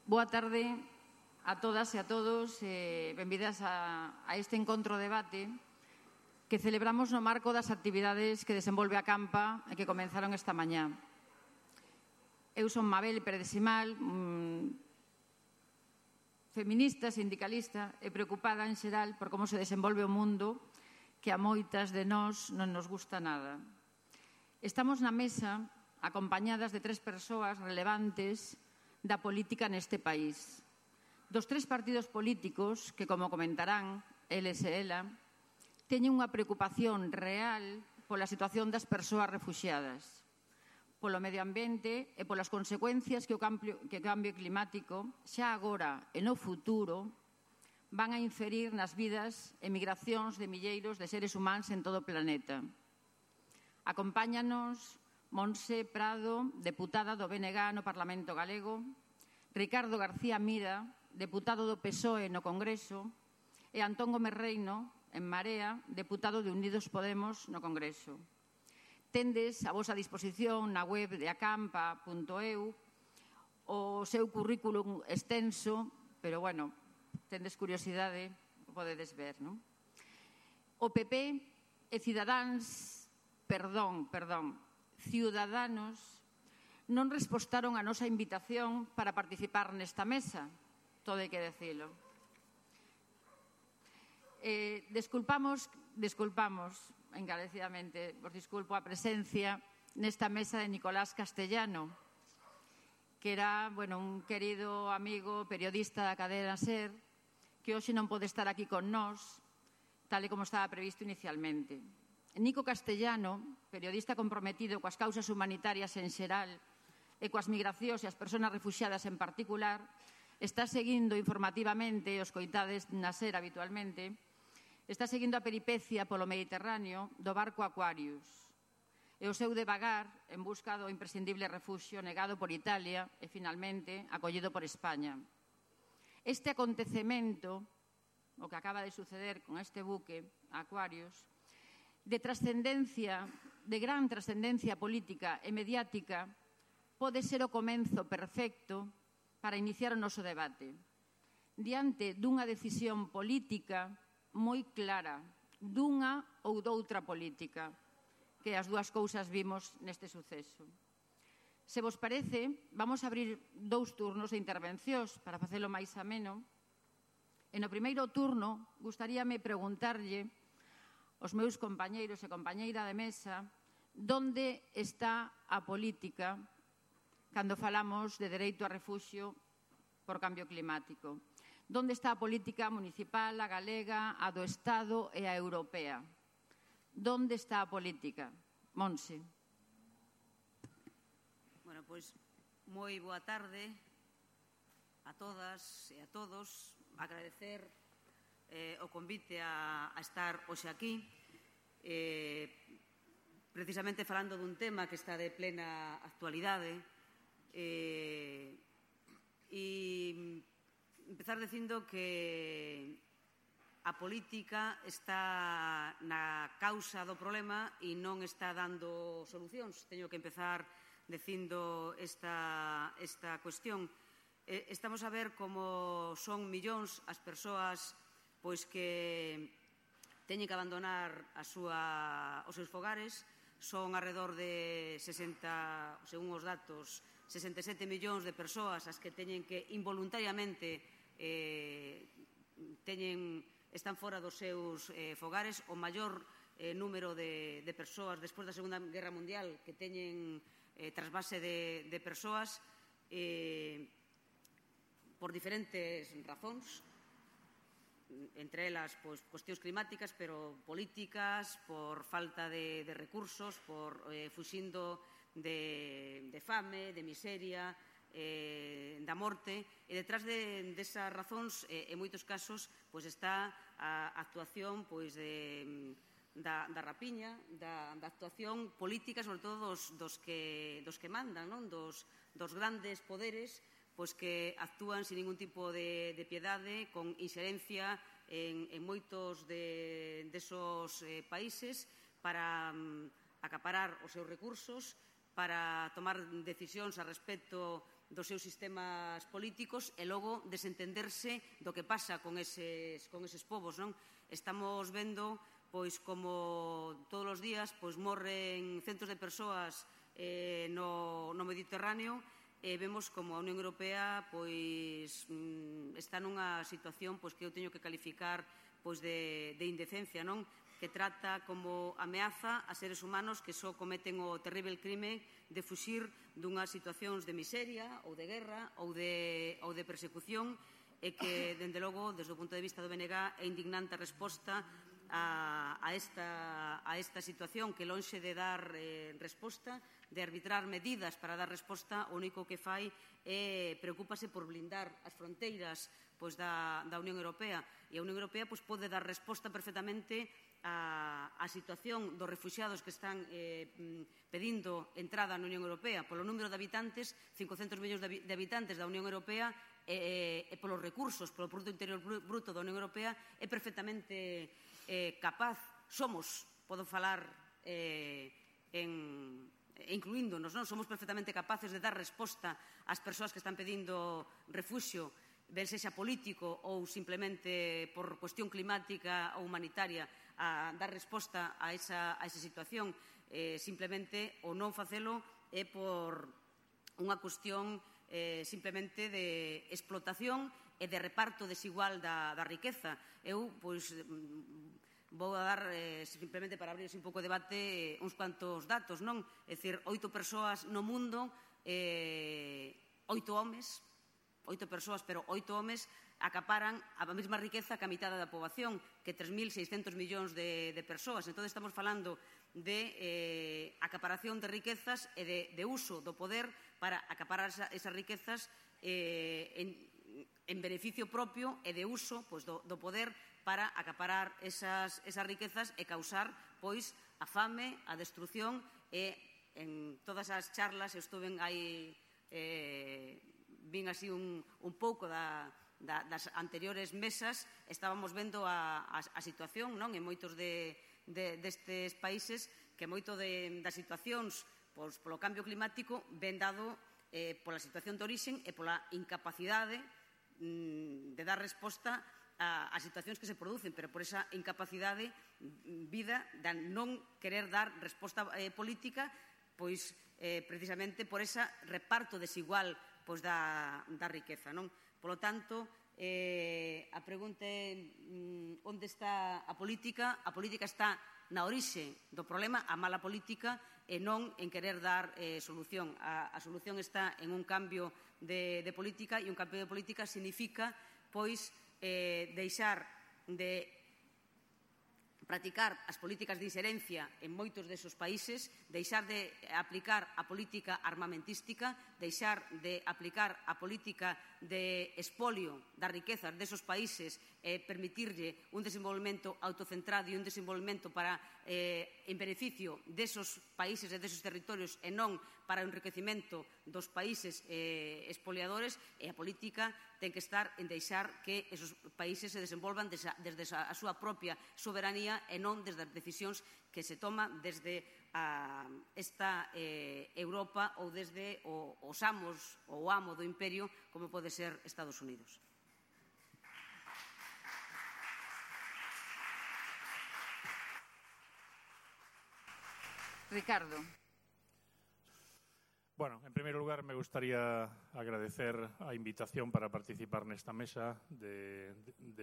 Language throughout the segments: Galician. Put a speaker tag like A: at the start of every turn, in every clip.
A: Boa tarde a todas e a todos, benvidas a este encontro debate que celebramos no marco das actividades que desenvolve a Campa e que comenzaron esta mañá. Eu son Mabel Pérez Simal, feminista, sindicalista e preocupada en xeral por como se desenvolve o mundo que a moitas de nós non nos gusta nada. Estamos na mesa acompañadas de 3 persoas relevantes da política neste país. Dos 3 partidos políticos que, como comentarán eles e ela, teñen unha preocupación real pola situación das persoas refuxiadas, polo medio ambiente e polas consecuencias que o cambio climático xa agora e no futuro van a inferir nas vidas e migracións de milleiros de seres humanos en todo o planeta. Acompáñanos Montse Prado, deputada do BNG no Parlamento Galego, Ricardo García Mira, deputado do PSOE no Congreso, e Antón Gómez Reino, en Marea, deputado de Unidos Podemos no Congreso. Tendes a vosa disposición na web de acampa.eu o seu currículum extenso, pero, bueno, tendes curiosidade, o podedes ver, non? O PP e Ciudadanos non respostaron a nosa invitación para participar nesta mesa, todo hai que decilo. Desculpamos encarecidamente, vos disculpo a presencia nesta mesa de Nicolás Castellano, que era un querido amigo periodista da cadena SER, que hoxe non pode estar aquí con nós, tal e como estaba previsto inicialmente. Nico Castellano, periodista comprometido coas causas humanitarias en xeral e coas migracións e as persoas refuxiadas en particular, está seguindo informativamente, os coitades na SER habitualmente, está seguindo a peripecia polo Mediterráneo do barco Aquarius e o seu devagar en busca do imprescindible refuxio negado por Italia e, finalmente, acollido por España. Este acontecemento, o que acaba de suceder con este buque Aquarius, de gran trascendencia política e mediática, pode ser o comenzo perfecto para iniciar o noso debate. Diante dunha decisión política moi clara, dunha ou doutra política, que as dúas cousas vimos neste suceso. Se vos parece, vamos a abrir 2 turnos de intervencións para facelo máis ameno. E no primeiro turno, gustaríame preguntarlle aos meus compañeiros e compañeira de mesa onde está a política cando falamos de dereito a refuxio por cambio climático. Onde está a política municipal, a galega, a do Estado e a europea? Onde está a política? Montse.
B: Bueno, pois, moi boa tarde a todas e a todos. Agradecer o convite a estar hoxe aquí, precisamente falando dun tema que está de plena actualidade, e empezar dicindo que a política está na causa do problema e non está dando solucións. Teño que empezar dicindo esta cuestión. Estamos a ver como son millóns as persoas que teñen que abandonar os seus fogares. Son alrededor de 60, según os datos, 67 millóns de persoas as que teñen que involuntariamente están fora dos seus fogares. O maior número de persoas despois da Segunda Guerra Mundial que teñen trasvase de persoas por diferentes razóns, entre elas cuestións climáticas, pero políticas, por falta de recursos, por fuxindo de fame, de miseria, da morte. E detrás desas razóns, en moitos casos, está a actuación da rapiña, da actuación política, sobre todo dos que mandan, dos grandes poderes, que actúan sin ningún tipo de piedade, con inxerencia en moitos desos países para acaparar os seus recursos, para tomar decisións a respecto dos seus sistemas políticos e logo desentenderse do que pasa con eses povos, non? Estamos vendo pois como todos os días morren centos de persoas no Mediterráneo e vemos como a Unión Europea está nunha situación que eu teño que calificar de indecencia, non? Que trata como ameaza a seres humanos que só cometen o terrible crime de fuxir dunhas situacións de miseria ou de guerra ou de persecución e que, dende logo, desde o punto de vista do BNG, é indignante a resposta a esta situación que, lonxe de dar resposta, de arbitrar medidas para dar resposta, o único que fai é preocúpase por blindar as fronteiras da Unión Europea. E a Unión Europea pode dar resposta perfectamente a situación dos refuxiados que están pedindo entrada na Unión Europea. Polo número de habitantes, 500 millóns de habitantes da Unión Europea, e polos recursos, polo Produto Interior Bruto da Unión Europea, é perfectamente capaz, podo falar incluíndonos, non? Somos perfectamente capaces de dar resposta ás persoas que están pedindo refuxio, ben sexa político ou simplemente por cuestión climática ou humanitaria, a dar resposta a esa situación. Simplemente o non facelo é por unha cuestión simplemente de explotación e de reparto desigual da riqueza. Eu, vou a dar, simplemente para abrir un pouco de debate, uns cuantos datos, non? É dicir, 8 persoas no mundo, 8 homes, 8 persoas, pero 8 homes acaparan a mesma riqueza que a mitad da poboación, que 3.600 millóns de persoas. Entón, estamos falando de acaparación de riquezas e de uso do poder para acaparar esas riquezas en beneficio propio e de uso do poder para acaparar esas riquezas e causar a fame, a destrucción e en todas as charlas eu estuve aí vin así un pouco das anteriores mesas, estábamos vendo a situación en moitos destes países, que moito das situacións polo cambio climático ven dado pola situación de orixen e pola incapacidade de dar resposta a situacións que se producen, pero por esa incapacidade vida de non querer dar resposta política, precisamente por ese reparto desigual da riqueza. Polo tanto, a pregunta é onde está a política? A política está na orixe do problema, a mala política, e non en querer dar solución. A solución está en un cambio de política, e un cambio de política significa, deixar de practicar as políticas de inxerencia en moitos desos países, deixar de aplicar a política armamentística, deixar de aplicar a política de expolio das riquezas desos países e permitirlle un desenvolvemento autocentrado e un desenvolvemento en beneficio desos países e desos territorios e non para o enriquecimento dos países expoliadores, e a política ten que estar en deixar que esos países se desenvolvan desde a súa propia soberanía e non desde as decisións que se toman desde esta Europa ou desde os amos ou o amo do imperio, como pode ser Estados Unidos.
A: Ricardo.
C: Bueno, en primeiro lugar, me gustaría agradecer a invitación para participar nesta mesa de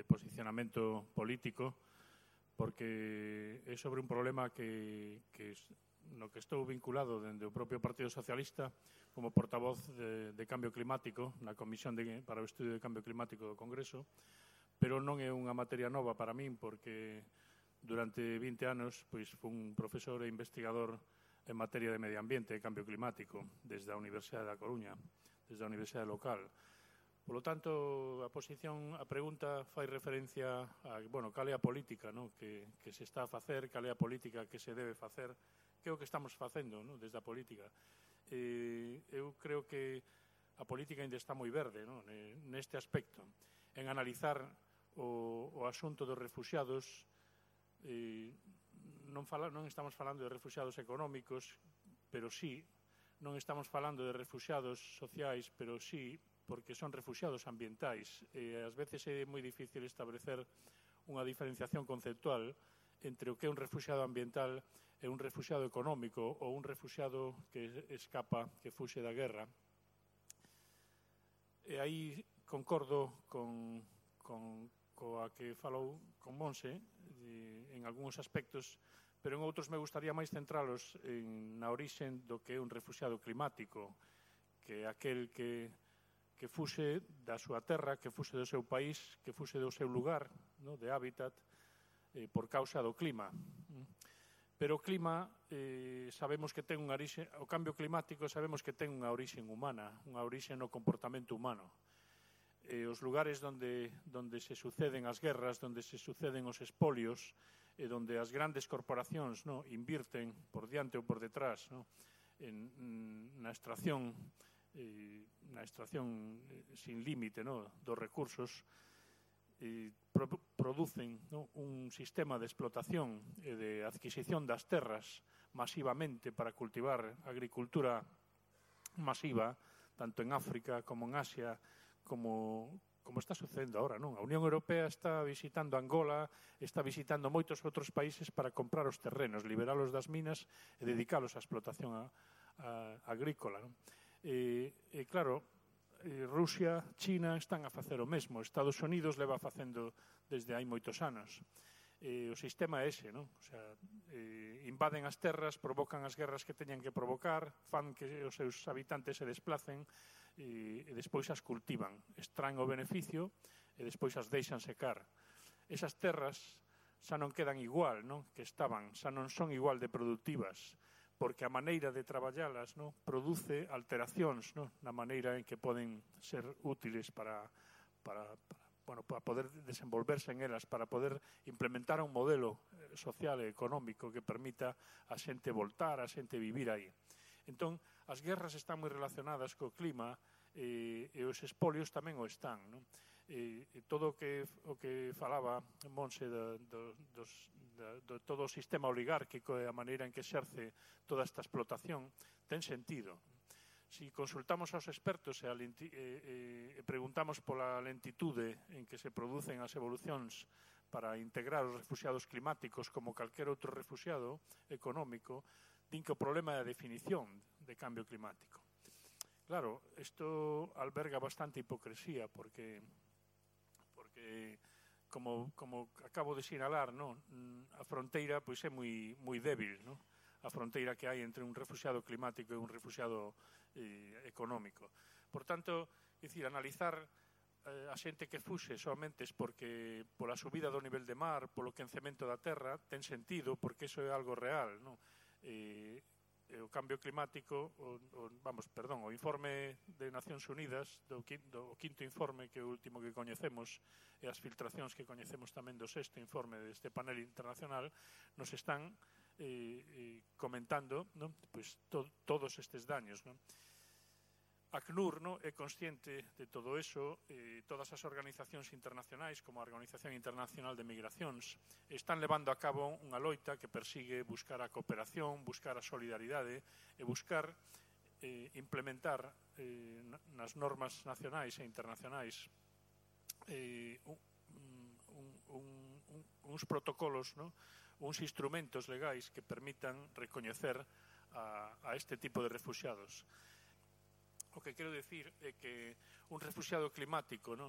C: posicionamento político, porque é sobre un problema no que estou vinculado dende o propio Partido Socialista como portavoz de Cambio Climático na Comisión para o Estudio de Cambio Climático do Congreso, pero non é unha materia nova para min, porque durante 20 anos fui un profesor e investigador en materia de medio ambiente e cambio climático desde a Universidade da Coruña, desde a Universidade local. Por lo tanto, a pregunta fai referencia a, cal é a política que se está a facer, cal é a política que se debe facer, que é o que estamos facendo desde a política. Eu creo que a política ainda está moi verde neste aspecto, en analizar o asunto dos refuxiados. Non estamos falando de refuxiados económicos, pero sí non estamos falando de refuxiados sociais, pero sí porque son refuxiados ambientais. Ás veces é moi difícil establecer unha diferenciación conceptual entre o que é un refuxiado ambiental e un refuxiado económico ou un refuxiado que escapa, que fuxe da guerra. E aí concordo coa que falou con Monse en algúns aspectos, pero en outros me gustaría máis centralos na orixen do que é un refuxiado climático, que é aquel que fuxe da súa terra, que fuxe do seu país, que fuxe do seu lugar, de hábitat, por causa do clima. Pero o clima, sabemos que ten unha orixe, o cambio climático sabemos que ten unha orixen humana, unha orixe no comportamento humano. Os lugares onde se suceden as guerras, onde se suceden os espolios, e onde as grandes corporacións invirten por diante ou por detrás na extracción sin límite dos recursos, producen un sistema de explotación e de adquisición das terras masivamente para cultivar agricultura masiva, tanto en África como en Asia, como está sucedendo ahora, non? A Unión Europea está visitando Angola, está visitando moitos outros países para comprar os terrenos, liberalos das minas e dedicalos á explotación agrícola, non? Claro, Rusia, China están a facer o mesmo, Estados Unidos leva facendo desde hai moitos anos. O sistema é ese, non? O sea, invaden as terras, provocan as guerras que teñan que provocar, fan que os seus habitantes se desplacen e despois as cultivan, extraen o beneficio e despois as deixan secar. Esas terras xa non quedan igual, non? Que estaban, xa non son igual de productivas, porque a maneira de traballalas produce alteracións na maneira en que poden ser útiles para poder desenvolverse en elas, para poder implementar un modelo social e económico que permita a xente voltar, a xente vivir aí. Entón, as guerras están moi relacionadas co clima e os espolios tamén o están, non? Todo o que falaba Monse de todo o sistema oligárquico e a maneira en que exerce toda esta explotación ten sentido. Si consultamos aos expertos e preguntamos pola lentitude en que se producen as evolucións para integrar os refuxiados climáticos como calquer outro refuxiado económico, din que o problema é a definición de cambio climático. Claro, isto alberga bastante hipocresía porque como acabo de sinalar, a fronteira pois é moi débil, a fronteira que hai entre un refuxiado climático e un refuxiado económico. Por tanto, analizar a xente que fuxe somente porque pola subida do nivel de mar, polo quencemento da terra, ten sentido porque iso é algo real, o cambio climático, o informe de Nacións Unidas, o quinto informe, que é o último que coñecemos, e as filtracións que coñecemos tamén do sexto informe deste panel internacional, nos están comentando todos estes daños. ACNUR é consciente de todo eso, todas as organizacións internacionais, como a Organización Internacional de Migracións, están levando a cabo unha loita que persigue buscar a cooperación, buscar a solidaridade e buscar implementar nas normas nacionais e internacionais uns protocolos, uns instrumentos legais que permitan recoñecer a este tipo de refuxiados. O que quero dicir é que un refuxiado climático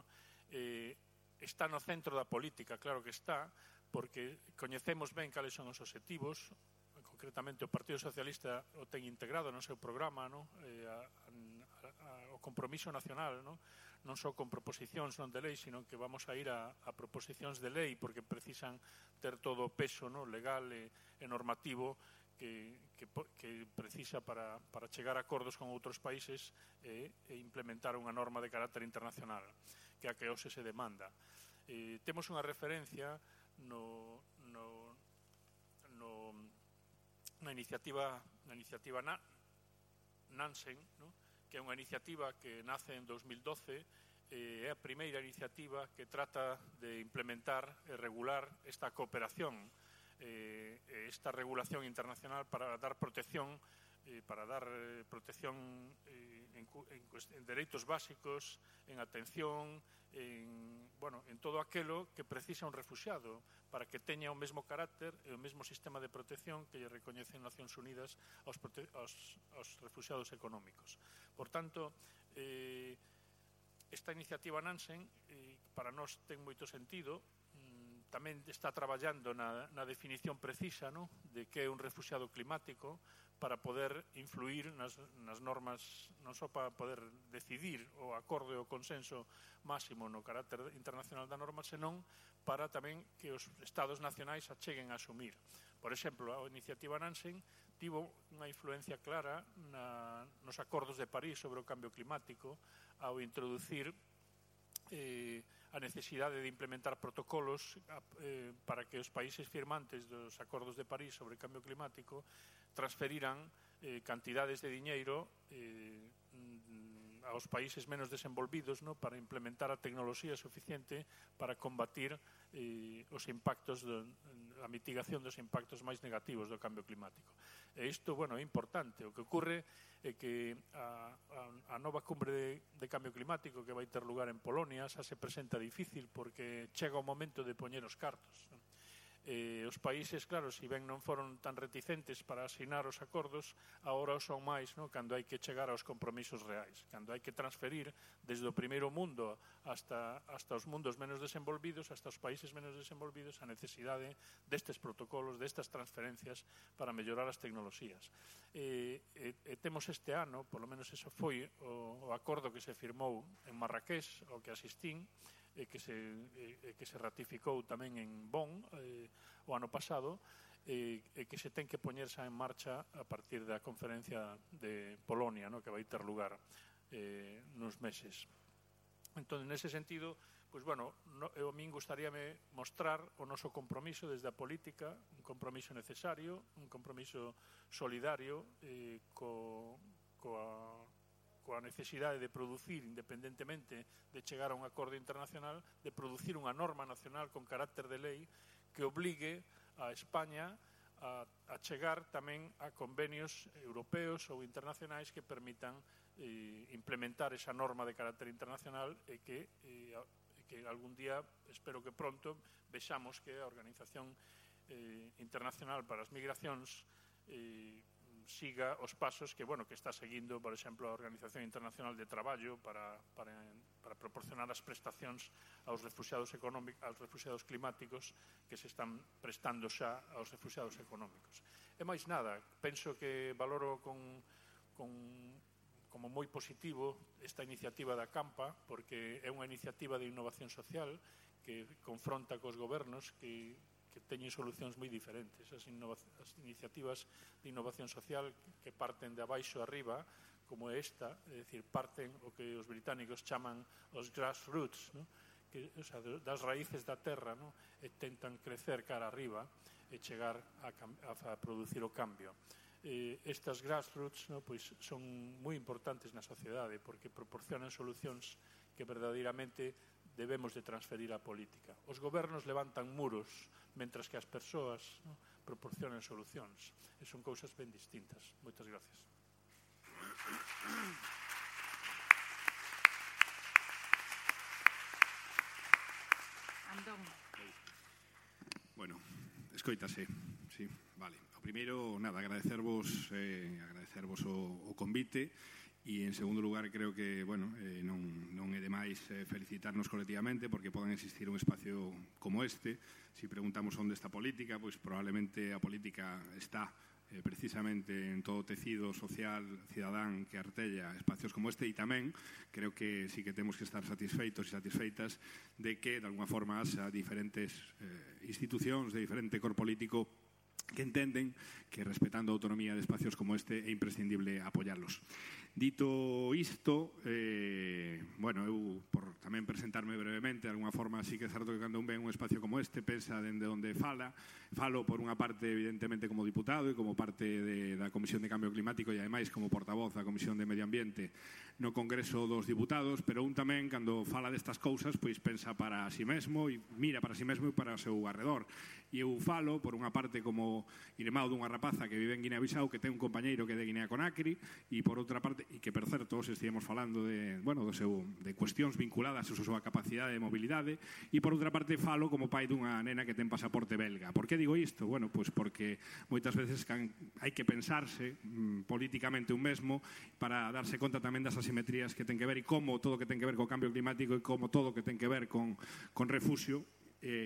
C: está no centro da política, claro que está, porque coñecemos ben cales son os obxectivos, concretamente o Partido Socialista o ten integrado no seu programa, o compromiso nacional, non só con proposicións non de lei, sino que vamos a ir a proposicións de lei porque precisan ter todo o peso legal e normativo que precisa para chegar a acordos con outros países e implementar unha norma de carácter internacional, que é a que hoxe se demanda. Temos unha referencia na iniciativa Nansen, que é unha iniciativa que nace en 2012, é a primeira iniciativa que trata de implementar e regular esta cooperación, esta regulación internacional para dar protección para dar protección en dereitos básicos, en atención, en todo aquilo que precisa un refuxiado para que teña o mesmo carácter e o mesmo sistema de protección que lle recoñecen Nacións Unidas aos refuxiados económicos. Por tanto, esta iniciativa Nansen para nós ten moito sentido. Tamén está traballando na definición precisa, no, de que é un refuxiado climático para poder influir nas normas, non só para poder decidir o acordo e o consenso máximo no carácter internacional da norma, senón para tamén que os estados nacionais a cheguen a asumir. Por exemplo, a iniciativa Nansen tivo unha influencia clara nos acordos de París sobre o cambio climático ao introducir a necesidade de implementar protocolos para que os países firmantes dos acordos de París sobre o cambio climático transferiran cantidades de diñeiro aos países menos desenvolvidos, no, para implementar a tecnoloxía suficiente para combatir os impactos, a mitigación dos impactos máis negativos do cambio climático. E isto, é importante. O que ocorre é que a nova cumbre de cambio climático que vai ter lugar en Polonia xa se presenta difícil porque chega o momento de poñer os cartos. Os países, claro, se ben non foron tan reticentes para asinar os acordos, agora o son máis, no, cando hai que chegar aos compromisos reais, cando hai que transferir desde o primeiro mundo hasta os mundos menos desenvolvidos, hasta os países menos desenvolvidos, a necesidade destes protocolos, destas transferencias para mellorar as tecnoloxías. Temos este ano, polo menos eso foi o acordo que se firmou en Marrakech, ao que asistín, que se ratificou tamén en Bonn o ano pasado, que se ten que poñer xa en marcha a partir da conferencia de Polonia, no, que vai ter lugar nos meses. Entón, nese sentido, a min gustaríame mostrar o noso compromiso desde a política, un compromiso necesario, un compromiso solidario coa necesidade de producir, independentemente de chegar a un acordo internacional, de producir unha norma nacional con carácter de lei que obligue a España a chegar tamén a convenios europeos ou internacionais que permitan implementar esa norma de carácter internacional e que algún día, espero que pronto, vexamos que a Organización Internacional para as Migracións siga os pasos que está seguindo, por exemplo, a Organización Internacional de Traballo para proporcionar as prestacións aos refuxiados económicos, aos refuxiados climáticos que se están prestando xa aos refuxiados económicos. E máis nada, penso que valoro como moi positivo esta iniciativa da Campa, porque é unha iniciativa de innovación social que confronta cos gobernos que teñen solucións moi diferentes. As iniciativas de innovación social que parten de abaixo arriba, como esta, é dicir, parten o que os británicos chaman os grassroots, no? Das raíces da terra, no? E tentan crecer cara arriba e chegar a producir o cambio. Estas grassroots, no, pois, son moi importantes na sociedade porque proporcionan solucións que verdadeiramente debemos de transferir á política. Os gobernos levantan muros, mentras que as persoas, no, proporcionan solucións. E son cousas ben distintas. Moitas gracias.
A: Antón.
D: Bueno, escoítase, sí, vale. O primeiro, nada, agradecervos o convite. E, en segundo lugar, creo que, non é demais felicitarnos colectivamente porque poden existir un espacio como este. Si preguntamos onde está a política, pois probablemente a política está precisamente en todo o tecido social cidadán que artella espacios como este, e tamén creo que sí que temos que estar satisfeitos e satisfeitas de que, de alguna forma, as diferentes institucións de diferente cor político que entenden que, respetando a autonomía de espacios como este, é imprescindible apoiarlos. Dito isto, eu, tamén presentarme brevemente. De alguna forma, sí que é certo que cando un ven un espacio como este, pensa dende onde falo por unha parte, evidentemente, como diputado e como parte da Comisión de Cambio Climático e, ademais, como portavoz da Comisión de Medio Ambiente no Congreso dos Diputados, pero un tamén, cando fala destas cousas, pois pensa para si mesmo e mira para si mesmo e para o seu arredor. E eu falo, por unha parte, como irmão dunha rapaza que vive en Guinea-Bissau, que ten un compañeiro que é de Guinea-Conakry, e por outra parte, e que, por certo, hoxe estivemos falando de cuestións vinculadas a súa capacidade de mobilidade, e por outra parte falo como pai dunha nena que ten pasaporte belga. Por que digo isto? Bueno, pois porque moitas veces hai que pensarse políticamente un mesmo para darse conta tamén das asimetrías que ten que ver e como todo o que ten que ver co cambio climático e como todo o que ten que ver con refuxio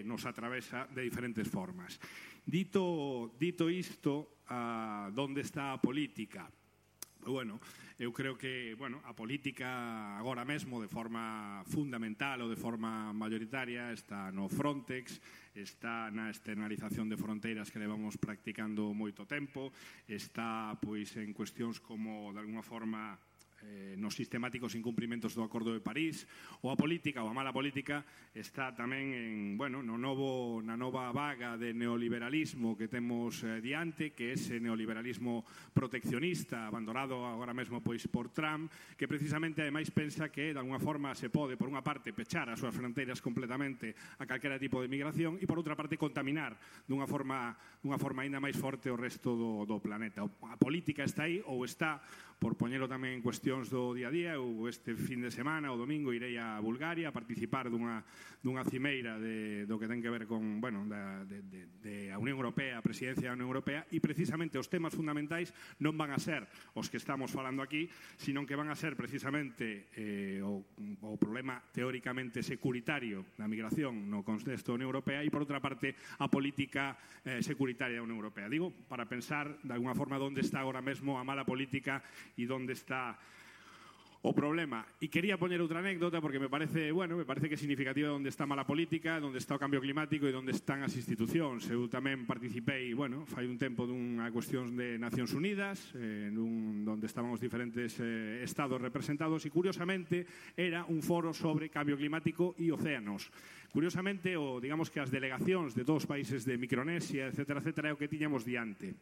D: nos atravesa de diferentes formas. Dito isto, onde está a política? Bueno, eu creo que a política agora mesmo de forma fundamental ou de forma mayoritaria está no Frontex, está na externalización de fronteiras que levamos practicando moito tempo, está pois en cuestións como de alguna forma nos sistemáticos incumprimentos do Acordo de París, ou a política, ou a mala política, está tamén na nova vaga de neoliberalismo que temos diante, que é ese neoliberalismo proteccionista, abandonado agora mesmo pois por Trump, que precisamente ademais pensa que de alguna forma se pode, por unha parte, pechar as súas fronteiras completamente a calquera tipo de migración e por outra parte contaminar dunha forma aínda máis forte o resto do planeta. A política está aí, ou está, por poñelo tamén en cuestións do día a día. Eu este fin de semana, o domingo, irei a Bulgaria a participar dunha cimeira do que ten que ver con, a Unión Europea, a presidencia da Unión Europea, e precisamente os temas fundamentais non van a ser os que estamos falando aquí, sino que van a ser precisamente o problema teóricamente securitario da migración no contexto da Unión Europea e, por outra parte, a política securitaria da Unión Europea. Digo, para pensar, de alguna forma, onde está agora mesmo a mala política e onde está o problema. E quería poñer outra anécdota porque me parece que é significativa onde está a mala política, onde está o cambio climático e onde están as institucións. Eu tamén participei, fai un tempo dunha cuestión de Nacións Unidas, onde estaban os diferentes estados representados, e curiosamente era un foro sobre cambio climático e océanos. Curiosamente, digamos que as delegacións de todos os países de Micronesia, etcétera, é o que tiñamos diante.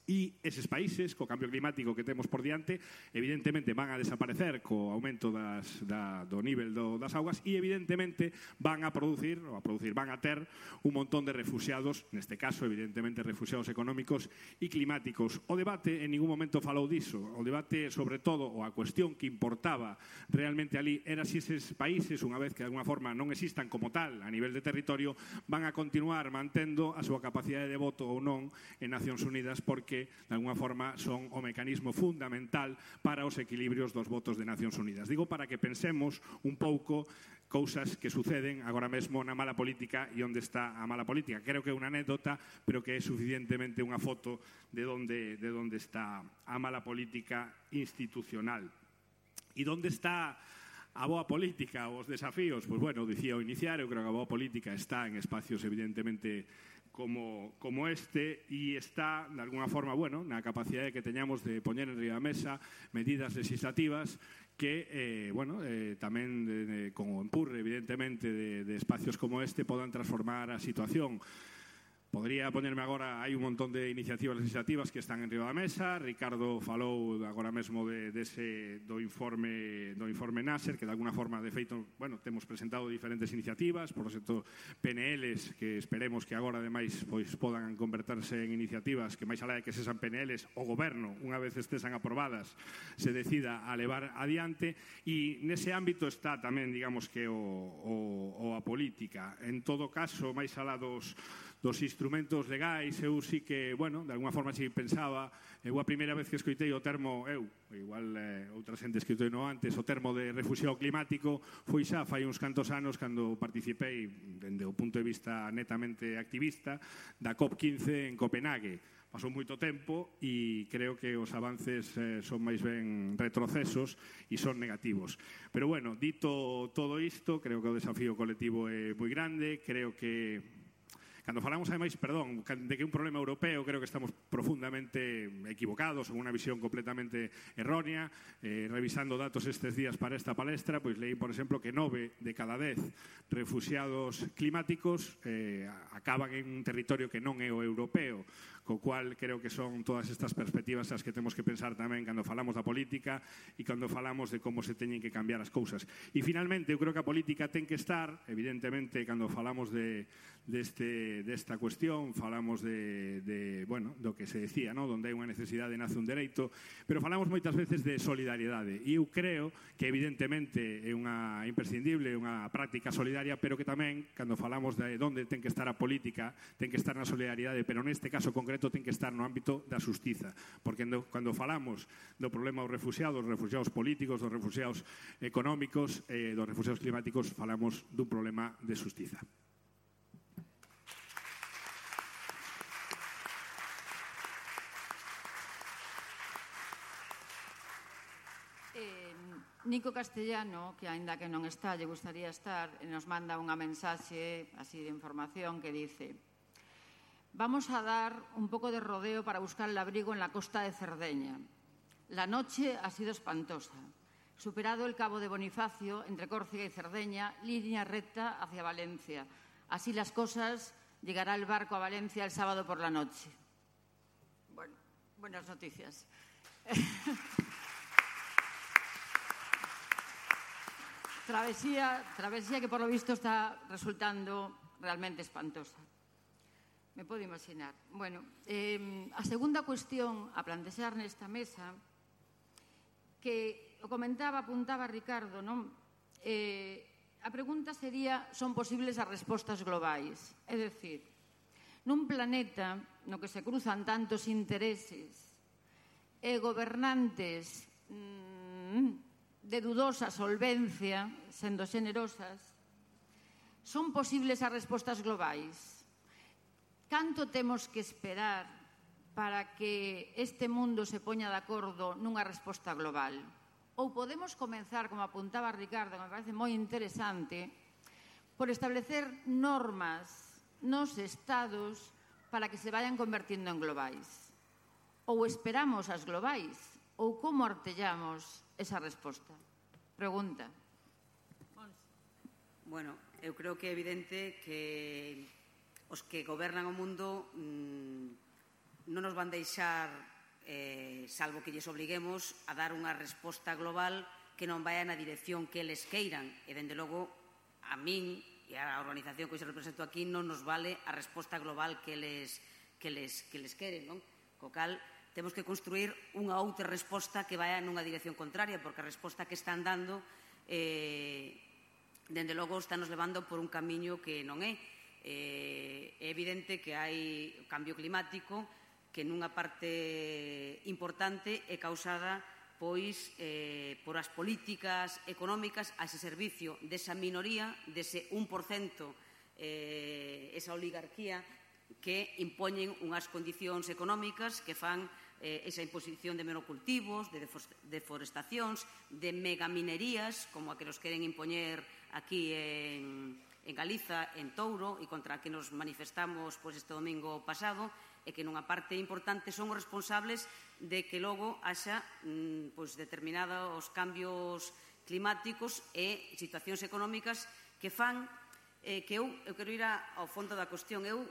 D: E eses países, co cambio climático que temos por diante, evidentemente van a desaparecer co aumento do nivel das augas e evidentemente van a ter un montón de refuxiados, neste caso evidentemente refuxiados económicos e climáticos. O debate en ningún momento falou diso. O debate, sobre todo, ou a cuestión que importaba realmente ali era se eses países, unha vez que de alguna forma non existan como tal a nivel de territorio, van a continuar mantendo a súa capacidade de voto ou non en Nacións Unidas, porque de alguna forma son o mecanismo fundamental para os equilibrios dos votos de Nacións Unidas. Digo para que pensemos un pouco cousas que suceden agora mesmo na mala política e onde está a mala política. Creo que é unha anécdota, pero que é suficientemente unha foto de onde está a mala política institucional. E onde está a boa política, os desafíos? Pois, dicía ao iniciar, eu creo que a boa política está en espacios evidentemente como este, e está, de alguna forma, na capacidade que teñamos de poñer en riba da mesa medidas legislativas que, tamén con o empurre, evidentemente, de espacios como este podan transformar a situación. Podría poñerme agora, hai un montón de iniciativas legislativas que están en riba da mesa. Ricardo falou agora mesmo do informe Nasser, que de alguna forma, de feito, temos presentado diferentes iniciativas, por exemplo, PNLs, que esperemos que agora, ademais, podan converterse en iniciativas que, máis alá de que sexan PNLs, o goberno, unha vez estesan aprobadas, se decida a levar adiante. E nese ámbito está tamén, digamos, que a política. En todo caso, máis alá dos instrumentos legais, eu sí que, de alguna forma sí pensaba, a primeira vez que escoitei o termo, igual outra xente escoitei antes, o termo de refuxiado climático, foi xa fai uns cantos anos cando participei, dende o punto de vista netamente activista, da COP15 en Copenhague. Pasou moito tempo e creo que os avances son máis ben retrocesos e son negativos. Pero, dito todo isto, creo que o desafío colectivo é moi grande, creo que Cando falamos, ademais, perdón, de que un problema europeo, creo que estamos profundamente equivocados, con unha visión completamente errónea. Revisando datos estes días para esta palestra, pois leí, por exemplo, que 9 de cada 10 refuxiados climáticos acaban en un territorio que non é o europeo, co cual creo que son todas estas perspectivas as que temos que pensar tamén cando falamos da política e cando falamos de como se teñen que cambiar as cousas. E finalmente, eu creo que a política ten que estar, evidentemente, cando falamos desta cuestión, falamos do que se decía, donde hai unha necesidade nace un dereito, pero falamos moitas veces de solidariedade. E eu creo que, evidentemente, é unha imprescindible, unha práctica solidaria, pero que tamén, cando falamos de onde ten que estar a política, ten que estar na solidariedade, pero neste caso concreto ten que estar no ámbito da xustiza, porque cando falamos do problema dos refuxiados políticos, dos refuxiados económicos, dos refuxiados climáticos, falamos dun problema de xustiza.
A: Nico Castellano, que aínda que non está, lle gustaría estar, nos manda unha mensaxe así de información que dice: vamos a dar un poco de rodeo para buscar el abrigo en la costa de Cerdeña. La noche ha sido espantosa. Superado el Cabo de Bonifacio, entre Córcega y Cerdeña, línea recta hacia Valencia. Así las cosas, llegará el barco a Valencia el sábado por la noche. Bueno, buenas noticias. Travesía que por lo visto está resultando realmente espantosa. Me podo imaginar. Bueno, a segunda cuestión a plantexar nesta mesa, que o apuntaba Ricardo, non? A pregunta sería, son posibles as respostas globais? É dicir, nun planeta no que se cruzan tantos intereses e gobernantes de dudosa solvencia, sendo xenerosas, son posibles as respostas globais? Canto temos que esperar para que este mundo se poña de acordo nunha resposta global? Ou podemos comenzar, como apuntaba Ricardo, que me parece moi interesante, por establecer normas nos estados para que se vayan convertindo en globais? Ou esperamos as globais? Ou como artellamos esa resposta? Pregunta.
B: Bueno, eu creo que é evidente que os que gobernan o mundo non nos van deixar, salvo que lles obliguemos, a dar unha resposta global que non vaya na dirección que eles queiran. E, dende logo, a min e a organización que hoxe represento aquí non nos vale a resposta global que eles queren, non? Co cal, temos que construir unha outra resposta que vaya nunha dirección contraria, porque a resposta que están dando, dende logo, está nos levando por un camiño que non é. É evidente que hai cambio climático que nunha parte importante é causada pois por as políticas económicas a ese servicio desa minoría, dese 1%, esa oligarquía que impoñen unhas condicións económicas que fan esa imposición de monocultivos, de deforestacións, de megaminerías, como a que nos queren impoñer aquí en Galiza, en Touro, e contra a que nos manifestamos este domingo pasado, e que nunha parte importante son os responsables de que logo haxa determinados cambios climáticos e situacións económicas que fan que eu quero ir ao fondo da cuestión. Eu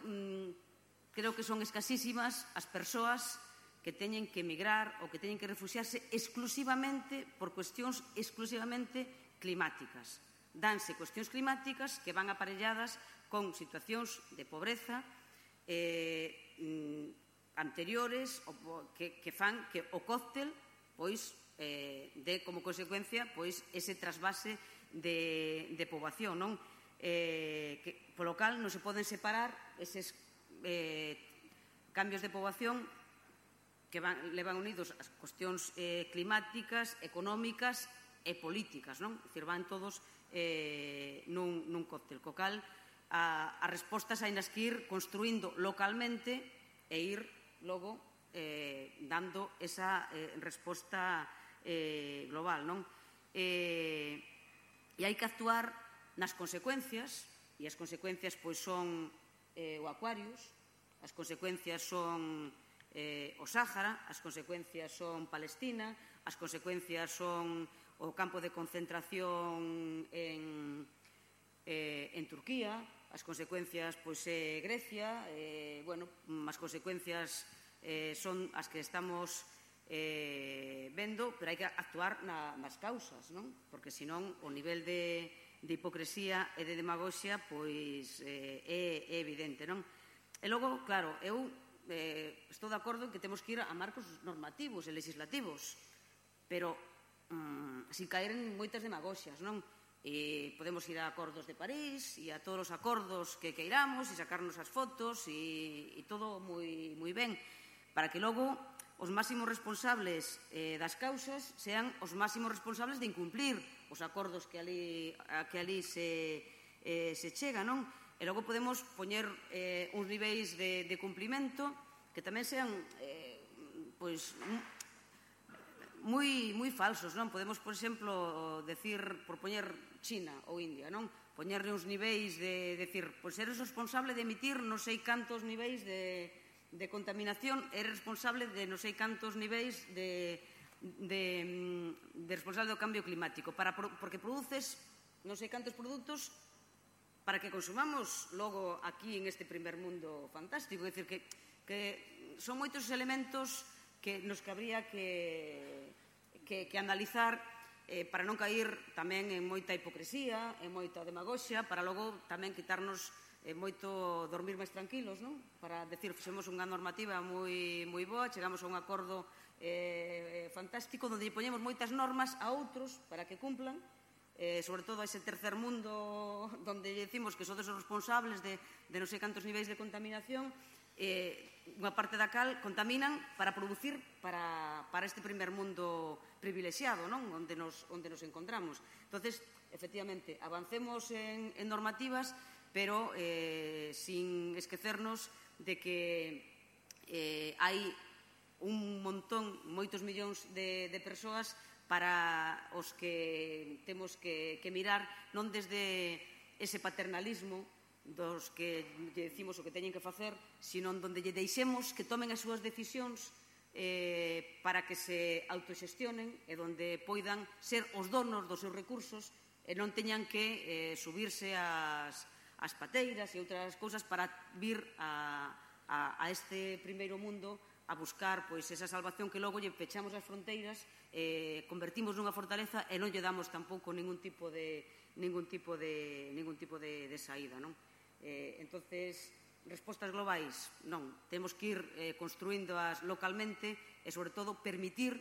B: creo que son escasísimas as persoas que teñen que emigrar ou que teñen que refuxiarse exclusivamente por cuestións exclusivamente climáticas. Danse cuestións climáticas que van aparelladas con situacións de pobreza anteriores que fan que o cóctel de como consecuencia ese trasvase de poboación, non? Polo cal non se poden separar eses cambios de poboación que levan unidos as cuestións climáticas, económicas e políticas, non? É dicir, van todos nun cóctel. Co cal, as respostas hai nas que ir construindo localmente e ir logo dando esa resposta global, non? E hai que actuar nas consecuencias, e as consecuencias son o Aquarius, as consecuencias son o Sáhara, as consecuencias son Palestina, as consecuencias son o campo de concentración en Turquía, as consecuencias Grecia, as consecuencias son as que estamos vendo, pero hai que actuar nas causas, non? Porque senón o nivel de hipocresía e de demagoxia é evidente, non? E logo, claro, eu estou de acordo en que temos que ir a marcos normativos e legislativos, pero sin caer en moitas demagoxias, non? Podemos ir a acordos de París e a todos os acordos que queiramos e sacarnos as fotos e todo moi ben, para que logo os máximos responsables das causas sean os máximos responsables de incumplir os acordos que ali se chega, non? E logo podemos poñer uns niveis de cumplimento que tamén sean moi falsos, non? Podemos, por exemplo, decir, por poñer China ou India, non? Poñerle uns niveis de decir, pois eres responsable de emitir non sei cantos niveis de contaminación, eres responsable de non sei cantos niveis de responsable do cambio climático, porque produces non sei cantos produtos para que consumamos logo aquí en este primer mundo fantástico. É dicir, que son moitos elementos nos que habría que analizar para non caer tamén en moita hipocresía, en moita demagoxia, para logo tamén quitarnos moito dormir máis tranquilos, non? Para decir, fixemos unha normativa moi boa, chegamos a un acordo fantástico onde poñemos moitas normas a outros para que cumplan, sobre todo a ese tercer mundo onde decimos que sodes os responsables de non sei cantos niveis de contaminación, unha parte da cal contaminan para producir para este primer mundo privilexiado, non? Onde nos encontramos. Entonces, efectivamente, avancemos en normativas, pero sin esquecernos de que hai un montón, moitos millóns de persoas para os que temos que mirar non desde ese paternalismo dos que lle decimos o que teñen que facer, sino onde lle deixemos que tomen as súas decisións para que se autoxestionen e onde poidan ser os donos dos seus recursos e non teñan que subirse ás pateiras e outras cousas para vir a este primeiro mundo a buscar esa salvación que logo lle pechamos as fronteiras, convertimos nunha fortaleza e non lle damos tampouco ningún tipo de saída, non? Entonces, respostas globais, non. Temos que ir construíndoas localmente e, sobre todo, permitir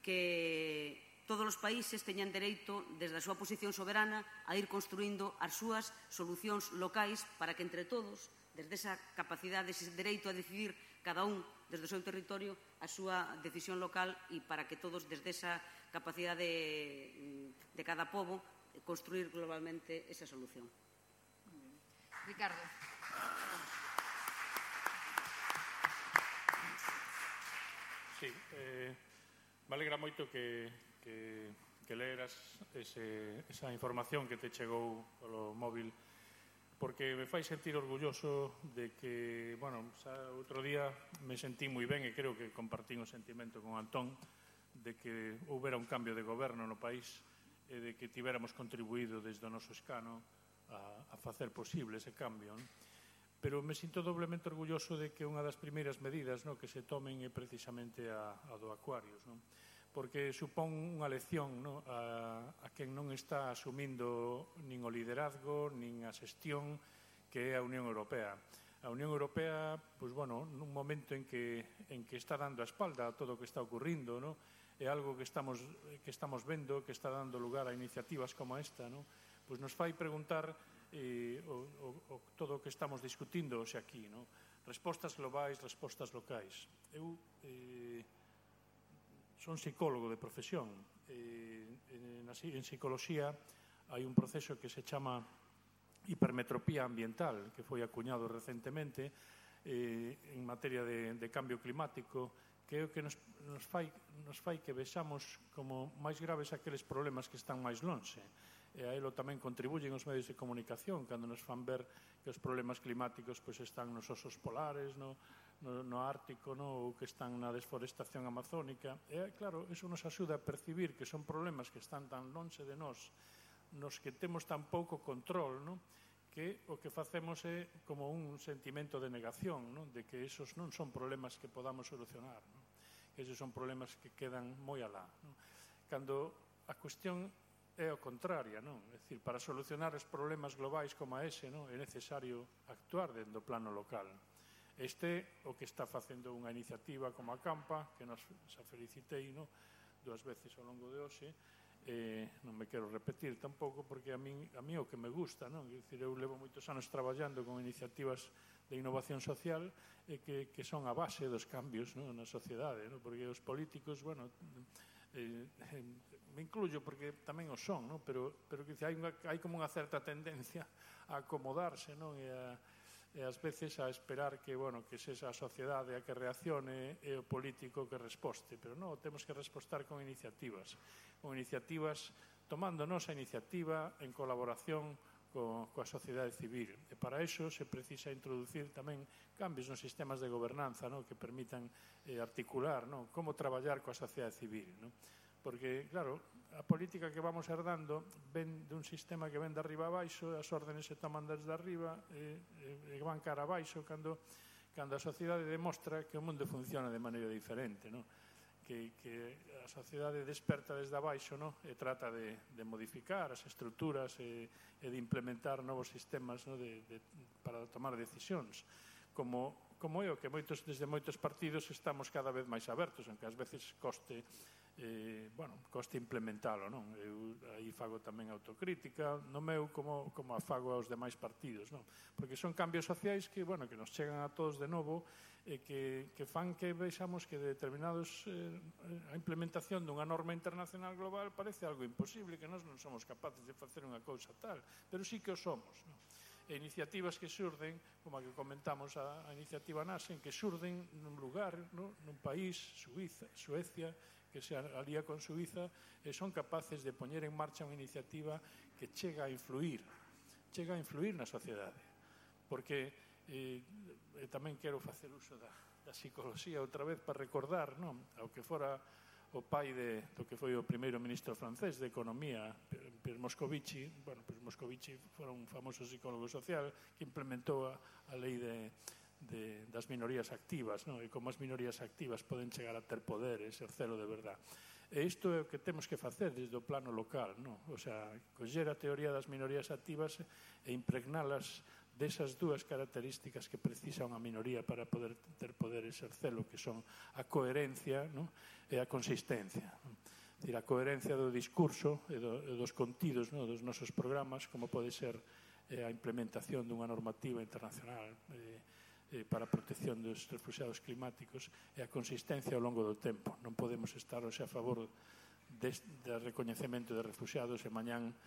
B: que todos os países teñan dereito, desde a súa posición soberana, a ir construindo as súas solucións locais para que, entre todos, desde esa capacidade, ese dereito a decidir cada un desde o seu territorio a súa decisión local e para que todos, desde esa capacidade de cada pobo, construir globalmente esa solución.
A: Ricardo.
C: Sí, me alegra moito que leeras esa información que te chegou polo móvil, porque me fai sentir orgulloso de que, outro día me sentí moi ben e creo que compartín o sentimento con Antón de que houbera un cambio de goberno no país e de que tivéramos contribuído desde o noso escano a facer posible ese cambio, non? Pero me sinto doblemente orgulloso de que unha das primeiras medidas que se tomen é precisamente a do Aquarius, non? Porque supón unha lección a quen non está asumindo nin o liderazgo nin a xestión que é a Unión Europea. A Unión Europea, nun momento en que está dando a espalda a todo o que está ocurrindo, é algo que estamos vendo, que está dando lugar a iniciativas como esta, pois nos fai preguntar todo o que estamos discutindo hoxe aquí, respostas globais, respostas locais. Eu son psicólogo de profesión. En psicoloxía hai un proceso que se chama hipermetropía ambiental, que foi acuñado recentemente en materia de cambio climático, que é o que nos fai que vexamos como máis graves aqueles problemas que están máis lonxe. e a elo tamén contribuyen os medios de comunicación cando nos fan ver que os problemas climáticos pois están nos osos polares, no Ártico, ou que están na desforestación amazónica. E, claro, iso nos axuda a percibir que son problemas que están tan lonxe de nós, nos que temos tan pouco control, que o que facemos é como un sentimento de negación, de que esos non son problemas que podamos solucionar, que esos son problemas que quedan moi alá. Cando a cuestión é o contraria, é dicir, para solucionar os problemas globais como ese, é necesario actuar dentro do plano local. Este o que está facendo unha iniciativa como a Campa, que nos felicitei 2 veces ao longo de hoxe. Non me quero repetir tampouco, porque a mí o que me gusta, eu levo moitos anos traballando con iniciativas de innovación social que son a base dos cambios na sociedade, porque os políticos, me incluyo porque tamén o son, pero hai como unha certa tendencia a acomodarse e ás veces a esperar que sexa a sociedade a que reaccione e o político que resposte, pero non, temos que respostar con iniciativas tomando nosa iniciativa en colaboración coa sociedade civil, e para iso se precisa introducir tamén cambios nos sistemas de gobernanza que permitan articular como traballar coa sociedade civil, porque, claro, a política que vamos herdando ven dun sistema que ven de arriba a baixo, as órdenes se toman desde arriba e van cara a baixo cando a sociedade demostra que o mundo funciona de maneira diferente, que a sociedade desperta desde abaixo e trata de modificar as estruturas e de implementar novos sistemas para tomar decisións, como é o que desde moitos partidos estamos cada vez máis abertos, aunque ás veces coste implementalo. Eu aí fago tamén autocrítica no meu como a fago aos demais partidos, porque son cambios sociais que nos chegan a todos de novo e que fan que vexamos que determinados a implementación dunha norma internacional global parece algo imposible, que nós non somos capaces de facer unha cousa tal, pero sí que o somos. E iniciativas que xurden, como a que comentamos, a iniciativa Nasen, que xurden nun lugar, nun país, Suecia, que se alía con Suiza, e son capaces de poñer en marcha unha iniciativa que chega a influir na sociedade. Porque tamén quero facer uso da psicología outra vez para recordar ao que fora o pai do que foi o primeiro ministro francés de Economía, Pierre Moscovici. Pierre Moscovici fora un famoso psicólogo social que implementou a lei das minorías activas, e como as minorías activas poden chegar a ter poder e exercelo de verdad. E isto é o que temos que facer desde o plano local, o sea, coller a teoría das minorías activas e impregnalas desas dúas características que precisa unha minoría para poder ter poder exercelo, que son a coherencia e a consistencia. A coherencia do discurso e dos contidos dos nosos programas, como pode ser a implementación dunha normativa internacional para a protección dos refugiados climáticos, e a consistencia ao longo do tempo. Non podemos estar hoxe a favor do recoñecemento de refugiados e mañán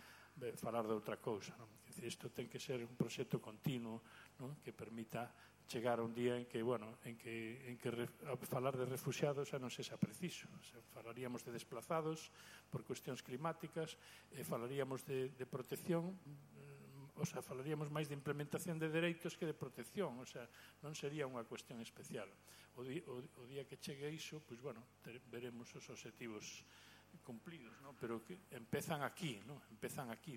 C: falar de outra cousa. Isto ten que ser un proxecto continuo que permita chegar a un día en que falar de refugiados xa non sexa preciso. Falaríamos de desplazados por cuestións climáticas, falaríamos de protección, falaríamos máis de implementación de dereitos que de protección, non sería unha cuestión especial. O día que chegue iso, veremos os obxectivos cumplidos, pero que empezan aquí,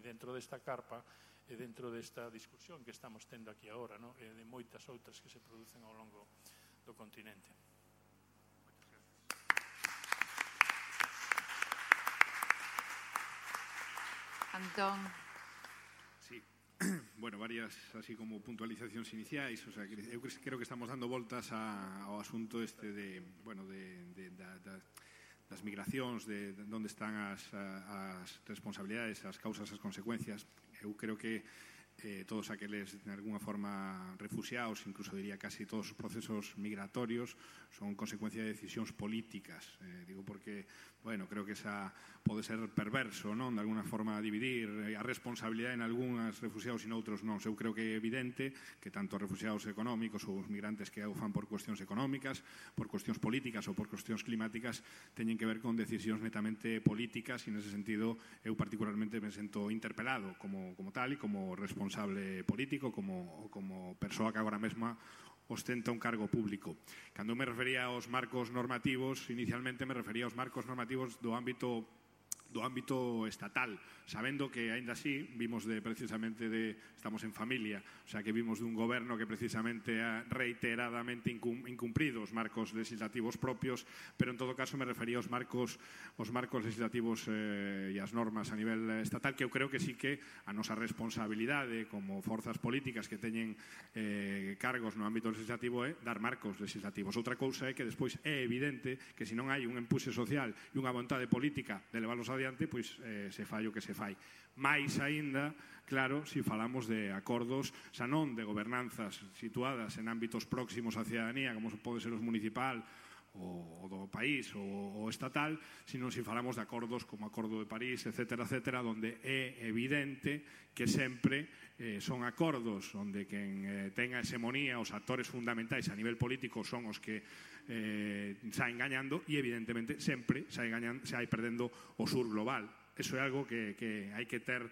C: dentro desta carpa e dentro desta discusión que estamos tendo aquí agora, e de moitas outras que se producen ao longo do continente.
A: Antón.
D: Sí. Bueno, varias así como puntualizacións iniciais, o sea, eu creo que estamos dando voltas ao asunto das migracións, de onde están as responsabilidades, as causas, as consecuencias. Eu creo que todos aqueles, de alguna forma, refugiados, incluso diría casi todos os procesos migratorios, son consecuencia de decisións políticas. Digo porque bueno, creo que esa pode ser perverso, non? De alguna forma dividir a responsabilidade en algúns refugiados e noutros non. Eu creo que é evidente que tanto os refugiados económicos ou os migrantes que o fan por cuestións económicas, por cuestións políticas ou por cuestións climáticas teñen que ver con decisións netamente políticas e nese sentido eu particularmente me sento interpelado como tal e como responsable político, como persoa que agora mesma ostenta un cargo público. Cando me refería aos marcos normativos, inicialmente me refería aos marcos normativos do ámbito estatal, sabendo que, aínda así, vimos estamos en familia, o sea, que vimos dun goberno que precisamente ha reiteradamente incumprido os marcos legislativos propios, pero en todo caso me refería aos marcos legislativos e as normas a nivel estatal, que eu creo que sí que a nosa responsabilidade como forzas políticas que teñen cargos no ámbito legislativo é dar marcos legislativos. Outra cousa é que despois é evidente que se non hai un empuxe social e unha vontade política de leválos adiante, pois se fai o que se fai. Mais aínda, claro, se falamos de acordos, xa non de gobernanzas situadas en ámbitos próximos á cidadanía, como pode ser os municipal o do país ou estatal, sino se falamos de acordos como o Acordo de París, etcétera, onde é evidente que sempre son acordos onde quen ten a hegemonía, os actores fundamentais a nivel político son os que saen gañando e evidentemente sempre sae perdendo o sur global. Eso é algo que hai que ter,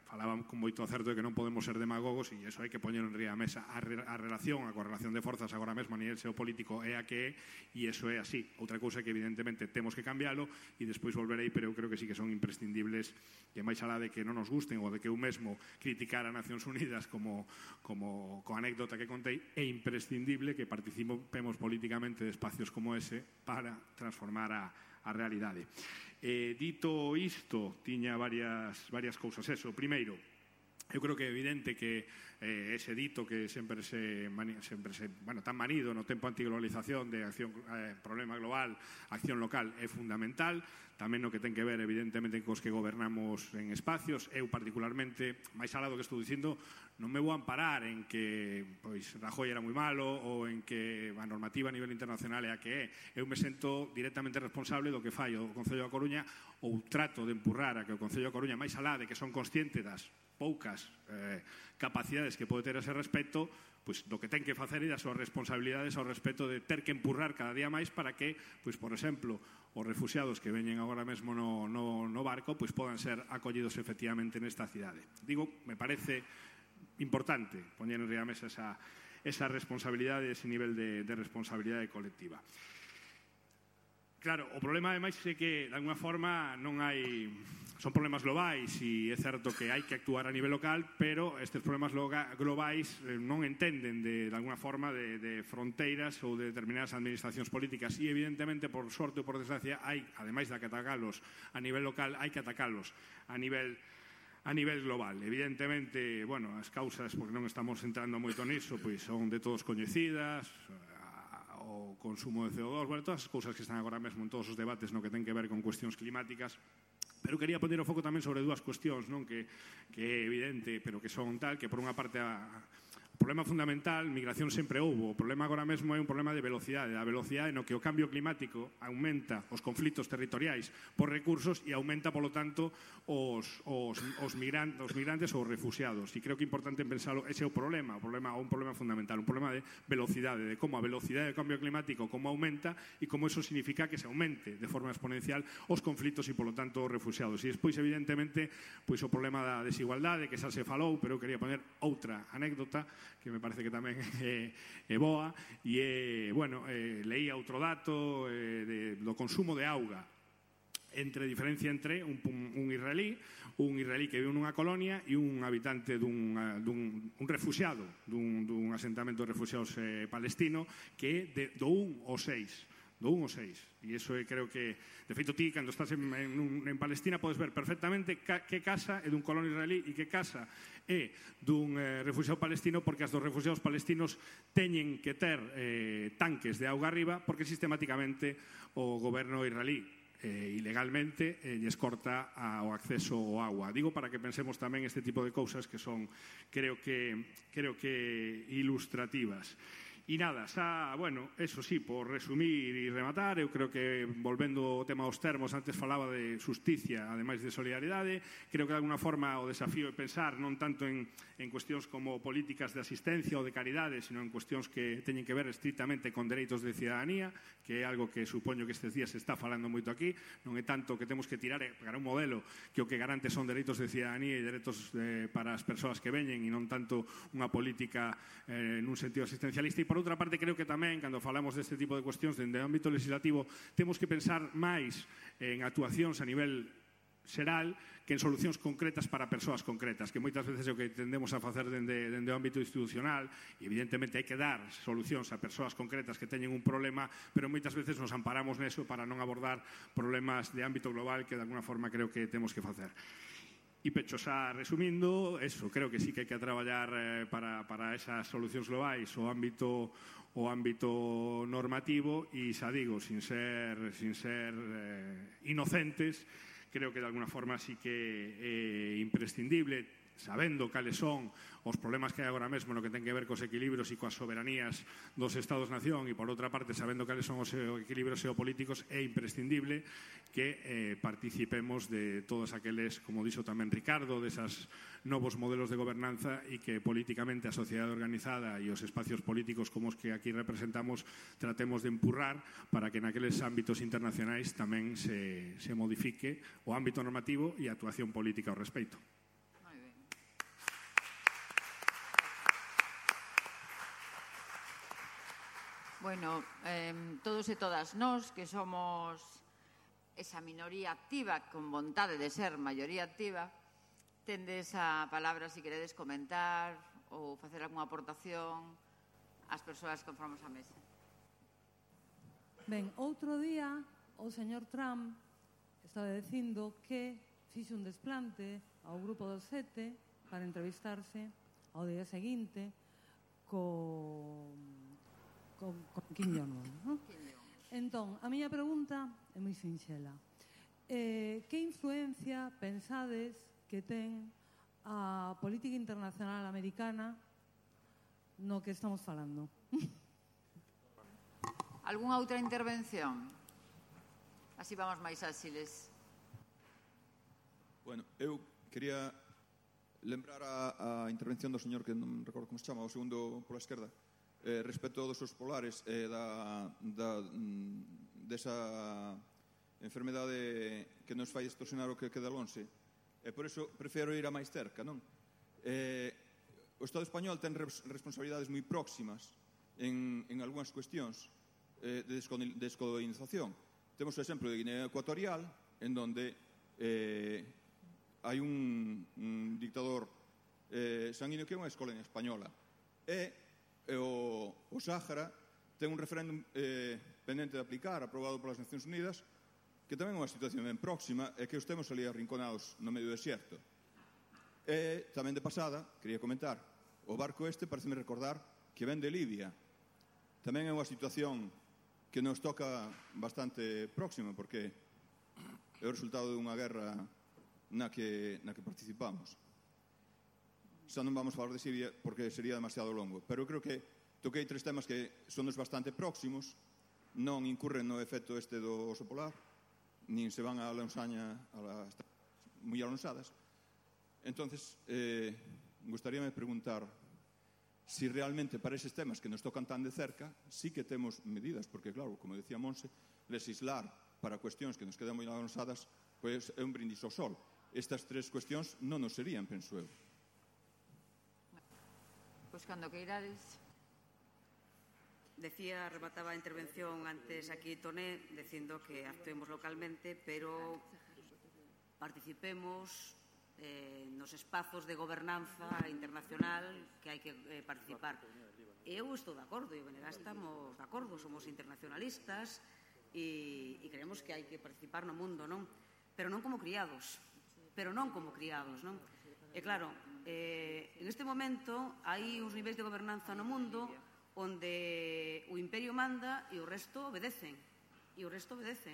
D: falaban con moito acerto de que non podemos ser demagogos e iso hai que poñer en ría a mesa. A correlación de forzas agora mesmo a nivel xeopolítico é a que é e iso é así. Outra cousa é que evidentemente temos que cambiálo e despois volverei, pero eu creo que sí que son imprescindibles, que máis alá de que non nos gusten ou de que eu mesmo criticar a Nacións Unidas como anécdota que contei, é imprescindible que participemos políticamente de espacios como ese para transformar a realidade. Dito isto, tiña varias cousas. Eso, primeiro, eu creo que é evidente que ese dito que sempre tan manido no tempo antiglobalización de acción, problema global, acción local, é fundamental. Tamén no que ten que ver, evidentemente, cos que gobernamos en espacios. Eu, particularmente, máis alá do que estou dicindo, non me vou amparar en que Rajoy era moi malo ou en que a normativa a nivel internacional é a que é. Eu me sento directamente responsable do que fai o Concello da Coruña ou trato de empurrar a que o Concello da Coruña, máis alá de que son consciente das poucas capacidades que pode ter ese respecto, pois do que ten que facer e das súas responsabilidades ao respecto de ter que empurrar cada día máis para que, pois por exemplo, os refuxiados que veñen agora mesmo no barco pois podan ser acollidos efectivamente nesta cidade. Digo, me parece importante poñer en ría a mesa esa responsabilidade, ese nivel de responsabilidade colectiva. Claro, o problema ademais é que de alguna forma non hai... Son problemas globais e é certo que hai que actuar a nivel local, pero estes problemas globais non entenden de alguna forma de fronteiras ou de determinadas administracións políticas e evidentemente, por sorte ou por desgracia, hai, ademais de que atacalos a nivel local, hai que atacalos a nivel global. Evidentemente, as causas, porque non estamos entrando moito niso, pois son de todos coñecidas, o consumo de CO2, todas as cousas que están agora mesmo en todos os debates no que ten que ver con cuestións climáticas. Pero quería poner o foco tamén sobre dúas cuestións, non, que é evidente, pero que son tal, que por unha parte o problema fundamental, migración sempre houbo. O problema agora mesmo é un problema de velocidade. A velocidade no que o cambio climático aumenta os conflitos territoriais por recursos e aumenta, polo tanto, os migrantes ou os refugiados. E creo que é importante pensalo, ese é o problema, un problema fundamental, un problema de velocidade, de como a velocidade do cambio climático como aumenta e como eso significa que se aumente de forma exponencial os conflitos e, polo tanto, os refugiados. E despois, evidentemente, pois o problema da desigualdade, que xa se falou, pero eu quería poner outra anécdota que me parece que tamén é boa, e leía outro dato do consumo de auga, diferencia entre un israelí que vive nunha colonia e un habitante un refuxiado dun asentamento de refuxiados palestino, que é do 1 ao 6. Do 1 ao 6. E iso creo que, de feito, ti, cando estás en Palestina, podes ver perfectamente que casa é dun colono israelí e que casa é dun refuxiado palestino, porque as dos refuxiados palestinos teñen que ter tanques de auga arriba, porque sistemáticamente o goberno israelí ilegalmente lles corta o acceso ao agua. Digo para que pensemos tamén este tipo de cousas que son, creo que ilustrativas. E nada, xa, bueno, eso sí, por resumir e rematar, eu creo que, volvendo ao tema dos termos, antes falaba de justicia, ademais de solidaridade, creo que de alguna forma o desafío é pensar non tanto en cuestións como políticas de asistencia ou de caridade, sino en cuestións que teñen que ver estrictamente con dereitos de cidadanía, que é algo que supoño que estes días se está falando moito aquí, non é tanto que temos que tirar para un modelo que o que garante son dereitos de cidadanía e dereitos para as persoas que veñen e non tanto unha política nun sentido asistencialista. E por outra parte, creo que tamén, cando falamos deste tipo de cuestións dende o ámbito legislativo, temos que pensar máis en actuacións a nivel xeral que en solucións concretas para persoas concretas, que moitas veces é o que tendemos a facer dende o ámbito institucional, e evidentemente hai que dar solucións a persoas concretas que teñen un problema, pero moitas veces nos amparamos neso para non abordar problemas de ámbito global que de alguna forma creo que temos que facer. E pecho xa resumindo, eso, creo que sí que hai que traballar para esas solucións globais o ámbito normativo e xa digo, sin ser inocentes, creo que de alguna forma sí que é imprescindible, sabendo cales son os problemas que hai agora mesmo no que ten que ver cos equilibrios e coas soberanías dos Estados-nación e, por outra parte, sabendo cales son os equilibrios geopolíticos, é imprescindible que participemos de todos aqueles, como dixo tamén Ricardo, desas novos modelos de gobernanza e que políticamente a sociedade organizada e os espacios políticos como os que aquí representamos tratemos de empurrar para que naqueles ámbitos internacionais tamén se modifique o ámbito normativo e a actuación política ao respecto.
A: Bueno, todos e todas nós que somos esa minoría activa con vontade de ser maioría activa, tendes a palabra se queredes comentar ou facer algunha aportación ás persoas que conformamos a mesa.
E: Ben, outro día o señor Trump estaba dicindo que fixe un desplante ao grupo dos 7 para entrevistarse ao día seguinte con Kim Jong-un, non? Entón, a miña pregunta é moi sinxela. Que influencia pensades que ten a política internacional americana no que estamos falando?
A: Algúnha outra intervención? Así vamos máis áxiles.
F: Bueno, eu quería lembrar a intervención do señor que non recordo como se chama, o segundo pola esquerda, respecto dos osos polares desa enfermedade que nos fai distorsionar o que queda lonxe. E por iso prefiro ir a máis cerca, non? O Estado español ten responsabilidades moi próximas en algunhas cuestións de descolonización. Temos o exemplo de Guinea Ecuatorial, en donde hai un dictador sanguíneo que é unha escolonia española. E o Sáhara ten un referéndum pendente de aplicar, aprobado polas Nacións Unidas, que tamén é unha situación ben próxima e que os temos ali arrinconados no medio do desierto. E tamén de pasada, quería comentar, o barco este pareceme recordar que ven de Libia. Tamén é unha situación que nos toca bastante próxima, porque é o resultado dunha guerra na que participamos. Xa non vamos falar de Siria porque sería demasiado longo, pero eu creo que toquei 3 temas que son nos bastante próximos, non incurren no efecto este do oso polar, nin se van a lonxaña moi alonsadas. Entonces, gustaríame preguntar si realmente para eses temas que nos tocan tan de cerca sí que temos medidas, porque claro, como decía Monse, legislar para cuestións que nos quedan moi alonsadas pois é un brindis ao sol. Estas 3 cuestións non nos serían, penso eu.
A: Pois cando queirades.
B: Remataba a intervención antes aquí Toné, dicindo que actuemos localmente, pero participemos nos espazos de gobernanza internacional que hai que participar. Eu estou de acordo, e o BNG estamos de acordo, somos internacionalistas e creemos que hai que participar no mundo, non? Pero non como criados, non? E claro, en este momento hai uns niveis de gobernanza no mundo onde o imperio manda e o resto obedecen,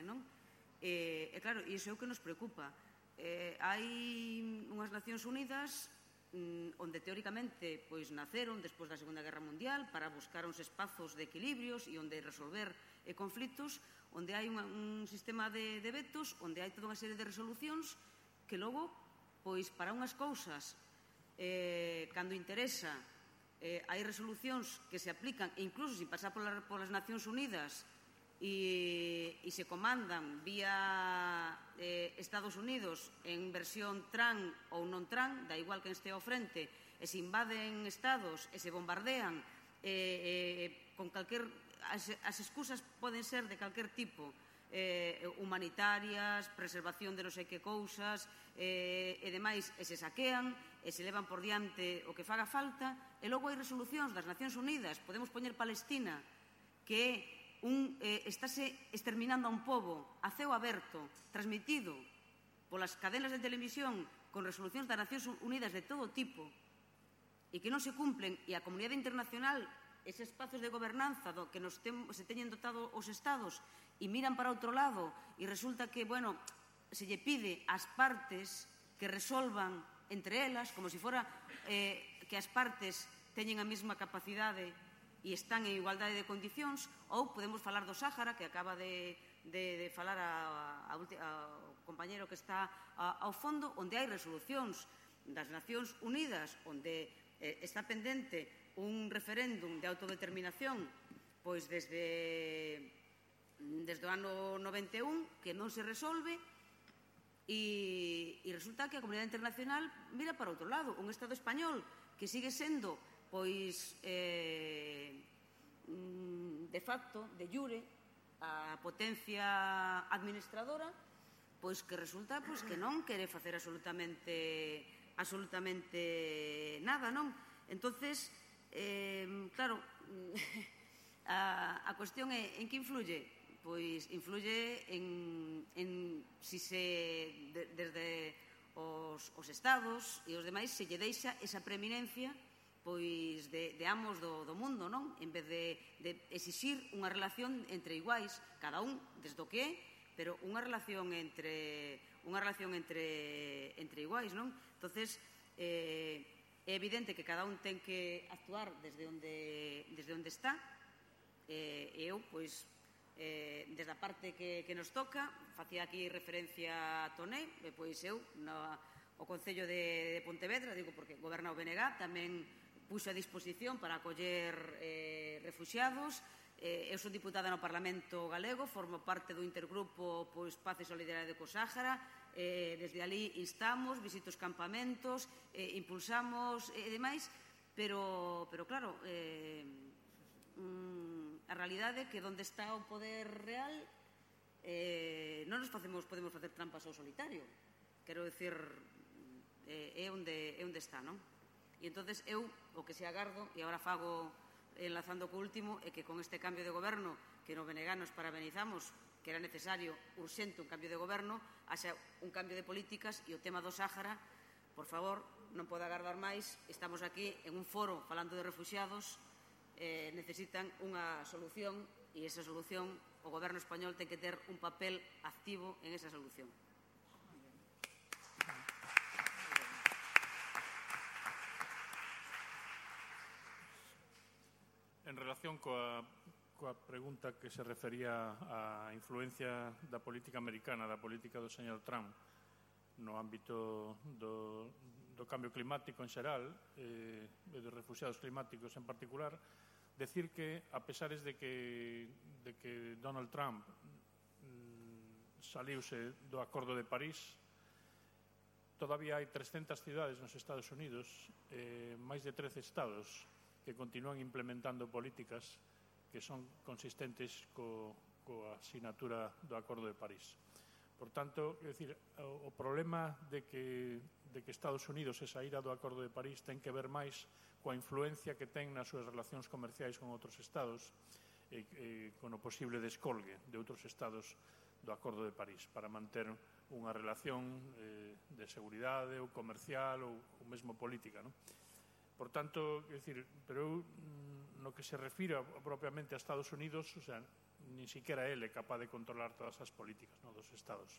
B: non? E claro, iso é o que nos preocupa. Hai unhas Nacións Unidas onde teóricamente naceron despois da Segunda Guerra Mundial para buscar uns espazos de equilibrios e onde resolver conflitos, onde hai un sistema de vetos, onde hai toda unha serie de resolucións que logo, para unhas cousas, cando interesa, hai resolucións que se aplican, e incluso sin pasar polas Nacións Unidas, e se comandan vía Estados Unidos en versión TRAN ou non TRAN, da igual que este ao frente, e se invaden estados e se bombardean con calquer... As excusas poden ser de calquer tipo, humanitarias, preservación de non sei que cousas e demais, e se saquean e se levan por diante o que faga falta, e logo hai resolucións das Nacións Unidas. Podemos poñer Palestina, que é estáse exterminando a un pobo a ceo aberto, transmitido polas cadenas de televisión con resolucións das Nacións Unidas de todo tipo e que non se cumplen, e a comunidade internacional, eses espazos de gobernanza do que se teñen dotado os estados, e miran para outro lado e resulta que, se lle pide ás partes que resolvan entre elas, como se fora que as partes teñen a mesma capacidade e están en igualdade de condicións. Ou podemos falar do Sáhara, que acaba de falar ao compañero que está ao fondo, onde hai resolucións das Nacións Unidas, onde está pendente un referéndum de autodeterminación desde o ano 91, que non se resolve, e resulta que a comunidade internacional mira para outro lado. Un Estado español que sigue sendo de facto, de jure, a potencia administradora, que resulta que non quere facer absolutamente nada, non? Entonces, claro, a cuestión é en que influye? Pois influye en si desde os estados e os demais se lle deixa esa preeminencia de amos do mundo, non? En vez de exixir unha relación entre iguais, cada un desde o que é, pero unha relación entre iguais, non? Entonces, é evidente que cada un ten que actuar desde onde está, e eu, desde a parte que nos toca, facía aquí referencia a Toné, eu, o Concello de Pontevedra, digo porque goberna o BNG, tamén puxo a disposición para acoller refuxiados. Eu son diputada no Parlamento Galego, formo parte do intergrupo Paz e Solidariedade co Sáhara. Desde ali instamos, visito os campamentos, impulsamos e demais, pero claro, a realidade é que onde está o poder real non nos podemos facer trampas ao solitario. Quero dicir, é onde está, non? E entonces eu o que se agardo, e agora fago enlazando co último, é que con este cambio de goberno que no BNG nos parabenizamos, que era necesario, urxente, un cambio de goberno, haxa un cambio de políticas, e o tema do Sáhara, por favor, non pode agardar máis. Estamos aquí en un foro falando de refuxiados, necesitan unha solución, e esa solución o goberno español ten que ter un papel activo en esa solución.
C: En relación coa pregunta que se refería á influencia da política americana, da política do señor Trump no ámbito do cambio climático en xeral e dos refuxiados climáticos en particular, decir que, a pesares de que Donald Trump saliuse do Acordo de París, todavía hai 300 cidades nos Estados Unidos, máis de 13 estados que continúan implementando políticas que son consistentes coa asinatura do Acordo de París. Por tanto, é dicir, o problema de que Estados Unidos se saíra do Acordo de París ten que ver máis coa influencia que ten nas súas relacións comerciais con outros estados e con o posible descolgue de outros estados do Acordo de París para manter unha relación de seguridade ou comercial ou mesmo política, non? Por tanto, é dicir, pero eu, no que se refira propiamente a Estados Unidos, o sea, ni siquiera ele é capaz de controlar todas as políticas, non, dos estados.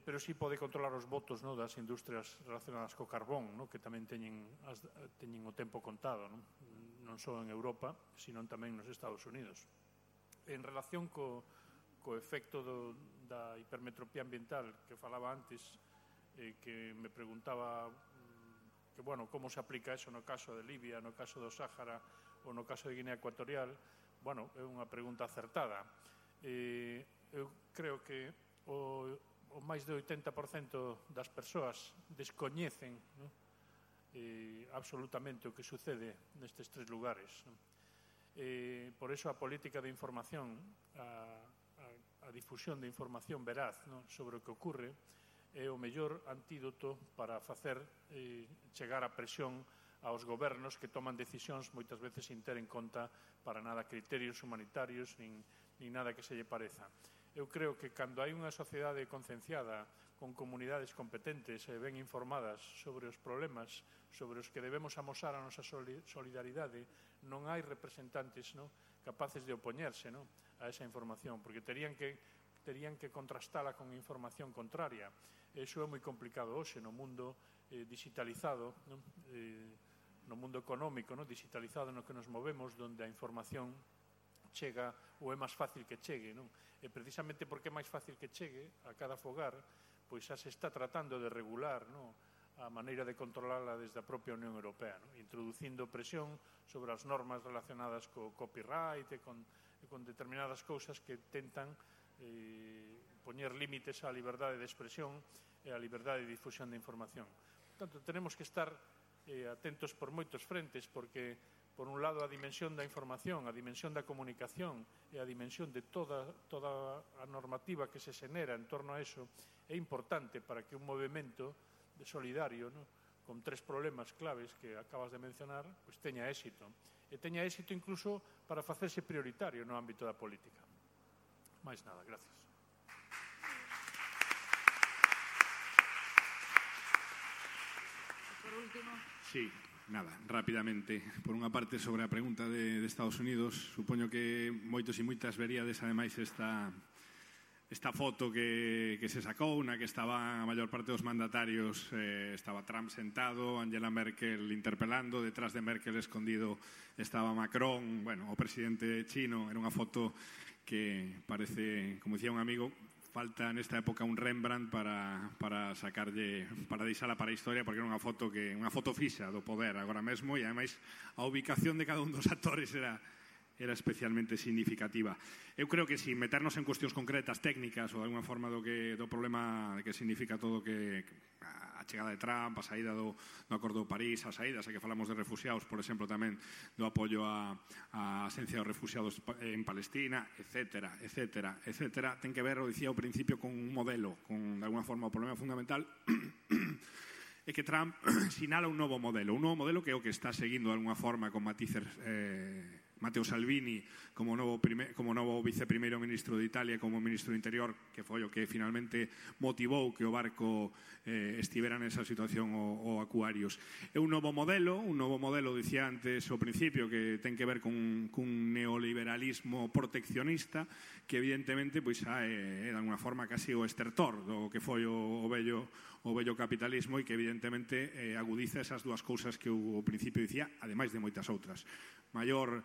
C: pero sí pode controlar os votos das industrias relacionadas co carbón, que tamén teñen o tempo contado, non só en Europa, sino tamén nos Estados Unidos. En relación co efecto da hipermetropía ambiental que falaba antes, que me preguntaba que, bueno, como se aplica eso no caso de Libia, no caso do Sáhara ou no caso de Guinea Ecuatorial. Bueno, é unha pregunta acertada. Eu creo que o máis de 80% das persoas descoñecen absolutamente o que sucede nestes tres lugares. Por eso a política de información, a difusión de información veraz sobre o que ocorre é o mellor antídoto para facer chegar a presión aos gobernos que toman decisións moitas veces sin ter en conta para nada criterios humanitarios nin nada que se lle pareza. Eu creo que cando hai unha sociedade concienciada con comunidades competentes e ben informadas sobre os problemas sobre os que debemos amosar a nosa solidaridade, non hai representantes capaces de opoñerse a esa información, porque terían que contrastala con información contraria. Iso é moi complicado hoxe no mundo digitalizado, no mundo económico digitalizado no que nos movemos, onde a información chega ou é máis fácil que chegue, e precisamente porque é máis fácil que chegue a cada fogar, pois xa se está tratando de regular a maneira de controlarla desde a propia Unión Europea, introducindo presión sobre as normas relacionadas co copyright e con determinadas cousas que tentan poñer límites á liberdade de expresión e á liberdade de difusión de información. Portanto, tenemos que estar atentos por moitos frentes, porque por un lado a dimensión da información, a dimensión da comunicación e a dimensión de toda a normativa que se xenera en torno a eso é importante para que un movimento de solidario con tres problemas claves que acabas de mencionar pues teña éxito. E teña éxito incluso para facerse prioritario no ámbito da política. Máis nada, gracias.
A: Por último.
D: Sí. Nada, rápidamente. Por unha parte, sobre a pregunta de Estados Unidos, supoño que moitos e moitas veríades, ademais, esta foto que se sacou, na que estaba a maior parte dos mandatarios, estaba Trump sentado, Angela Merkel interpelando, detrás de Merkel escondido estaba Macron, bueno, o presidente chino. Era unha foto que parece, como dicía un amigo, falta nesta época un Rembrandt para sacarlle, para deixala para a historia, porque era unha foto fixa do poder agora mesmo, e ademais a ubicación de cada un dos actores era especialmente significativa. Eu creo que sin meternos en cuestións concretas, técnicas ou de alguna forma do problema que significa todo que a chegada de Trump, a saída do Acordo de París, a saída, xa que falamos de refugiados, por exemplo, tamén do apoio á asencia dos refugiados en Palestina, etcétera, ten que ver, o dicía ao principio, con un modelo, con de alguna forma o problema fundamental é que Trump sinala un novo modelo que é o que está seguindo de alguna forma con matices Matteo Salvini como novo viceprimeiro ministro de Italia, como ministro do Interior, que foi o que finalmente motivou que o barco estivera nesa situación o Aquarius. É un novo modelo, dicía antes ao principio, que ten que ver cun neoliberalismo proteccionista que evidentemente pois é de alguna forma casi o estertor do que foi o vello capitalismo, e que evidentemente agudiza esas dúas cousas que ao principio dicía, ademais de moitas outras. Maior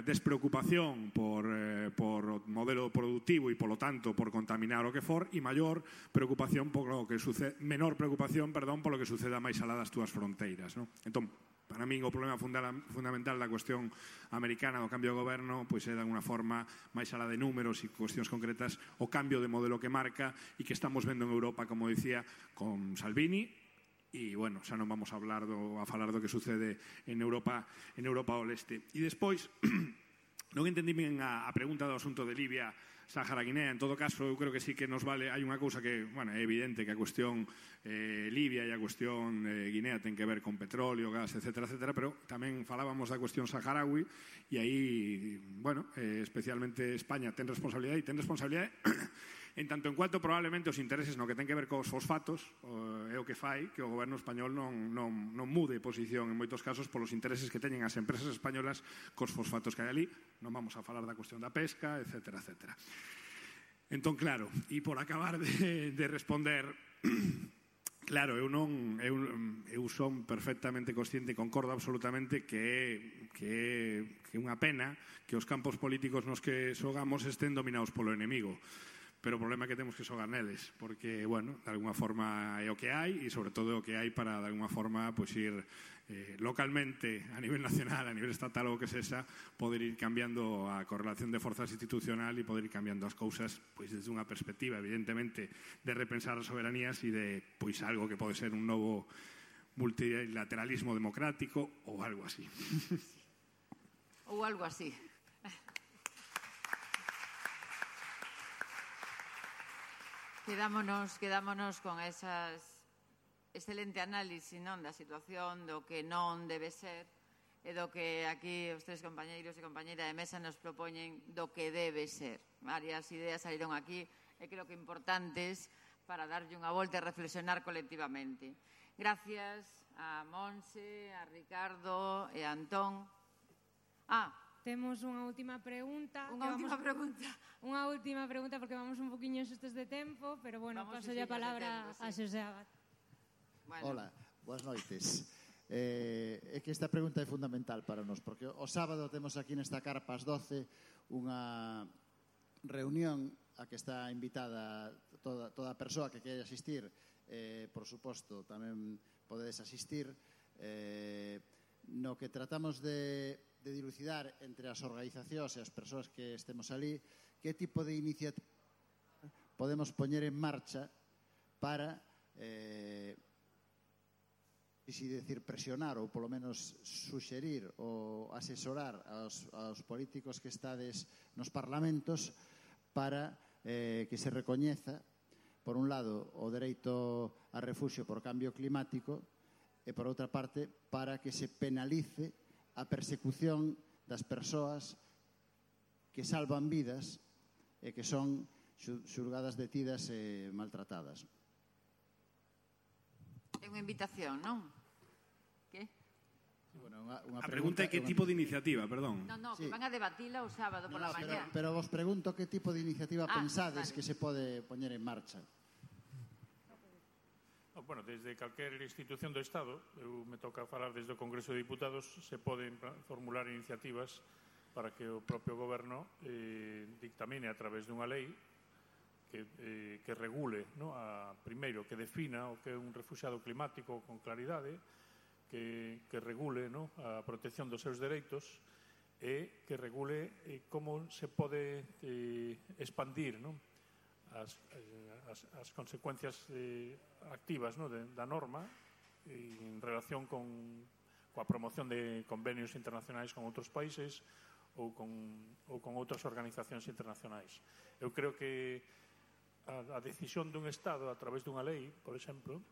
D: despreocupación por o modelo productivo e, polo tanto, por contaminar o que for, e maior preocupación menor preocupación, polo que suceda máis alá das túas fronteiras. Entón, para min o problema fundamental da cuestión americana do cambio de goberno pois é de alguna forma, máis alá de números e cuestións concretas, o cambio de modelo que marca e que estamos vendo en Europa, como dicía, con Salvini. E, bueno, xa non vamos a falar do que sucede en Europa ao leste. E despois, non entendí ben a pregunta do asunto de Libia, Sáhara, Guinea. En todo caso, eu creo que sí que nos vale. Hai unha cousa que, bueno, é evidente que a cuestión Libia e a cuestión Guinea ten que ver con petróleo, gas, etcétera, pero tamén falábamos da cuestión saharaui, e aí, bueno, especialmente España ten responsabilidade en tanto en cuanto probablemente os intereses no que ten que ver cos fosfatos é o que fai que o goberno español non mude posición en moitos casos polos intereses que teñen as empresas españolas cos fosfatos que hai ali. Non vamos a falar da cuestión da pesca, etcétera. Entón, claro, e por acabar de responder, claro, eu son perfectamente consciente e concordo absolutamente que é unha pena que os campos políticos nos que xogamos estén dominados polo enemigo. Pero o problema é que temos que xogar neles, porque, bueno, de alguma forma é o que hai e, sobre todo, é o que hai para, de alguma forma, pois ir localmente, a nivel nacional, a nivel estatal ou o que sexa, poder ir cambiando a correlación de forzas institucional e poder ir cambiando as cousas pois desde unha perspectiva, evidentemente, de repensar as soberanías e de pois algo que pode ser un novo multilateralismo democrático ou algo así.
A: Ou algo así. Quedámonos con esas excelente análise, non, da situación, do que non debe ser e do que aquí os tres compañeiros e compañeira de mesa nos propoñen do que debe ser. Varias ideas saíron aquí e creo que importantes para darlle unha volta e reflexionar colectivamente. Gracias a Monse, a Ricardo e a Antón.
G: Temos unha última pregunta. Unha última pregunta porque vamos un poquinho xustos de tempo, pero bueno, paso a palabra a Xosé Abad.
H: Hola, boas noites. É que esta pregunta é fundamental para nós, porque o sábado temos aquí nesta carpa ás 12 unha reunión a que está invitada toda a persoa que quere asistir, por suposto, tamén podedes asistir, no que tratamos de dilucidar entre as organizacións e as persoas que estemos ali que tipo de iniciativa podemos poñer en marcha para presionar ou polo menos suxerir ou asesorar aos políticos que estades nos parlamentos para que se recoñeza, por un lado, o dereito a refuxio por cambio climático e, por outra parte, para que se penalice a persecución das persoas que salvan vidas e que son xulgadas, detidas e maltratadas.
A: É unha invitación, non? Que?
D: A pregunta é que tipo de iniciativa, perdón.
A: Non, que van a debatila o sábado pola mañá.
H: Pero vos pregunto que tipo de iniciativa pensades que se pode poñer en marcha.
C: Bueno, desde calquer institución do Estado, eu me toca falar desde o Congreso de Diputados, se poden formular iniciativas para que o propio goberno dictamine a través dunha lei que regule, primeiro, que defina o que é un refuxiado climático con claridade, que regule a protección dos seus dereitos e que regule como se pode expandir as consecuencias activas da norma en relación coa promoción de convenios internacionais con outros países ou con outras organizacións internacionais. Eu creo que a decisión dun Estado a través dunha lei, por exemplo,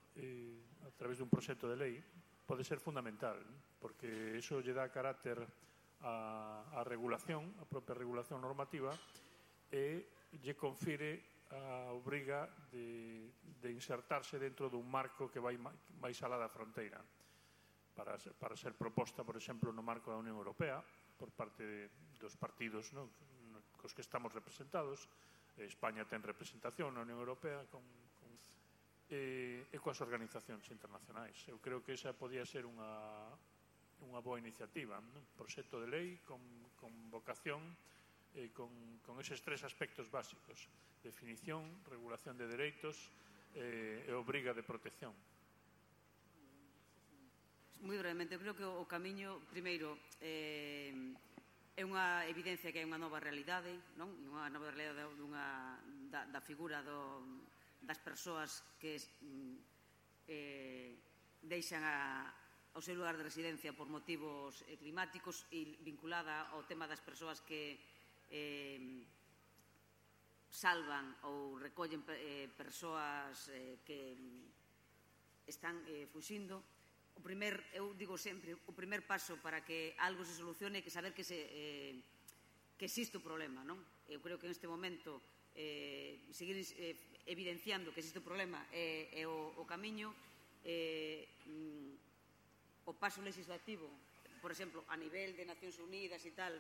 C: a través dun proxecto de lei, pode ser fundamental, porque iso lle dá carácter á regulación, a propia regulación normativa, e lle confire a obriga de insertarse dentro dun marco que vai máis alá da fronteira para ser proposta, por exemplo, no marco da Unión Europea por parte dos partidos cos que estamos representados. España ten representación na Unión Europea e coas organizacións internacionais. Eu creo que esa podía ser unha boa iniciativa, un proxecto de lei con vocación con eses tres aspectos básicos: definición, regulación de dereitos e obriga de protección.
B: Moi brevemente, eu creo que o camiño, primeiro, é unha evidencia que é unha nova realidade, non? Unha nova realidade da figura das persoas que deixan o seu lugar de residencia por motivos climáticos e vinculada ao tema das persoas que salvan ou recollen persoas que están fuxindo. Eu digo sempre, o primer paso para que algo se solucione é que saber que existe o problema, non? Eu creo que en este momento seguir evidenciando que existe o problema é o camiño. O paso legislativo, por exemplo, a nivel de Nacións Unidas e tal,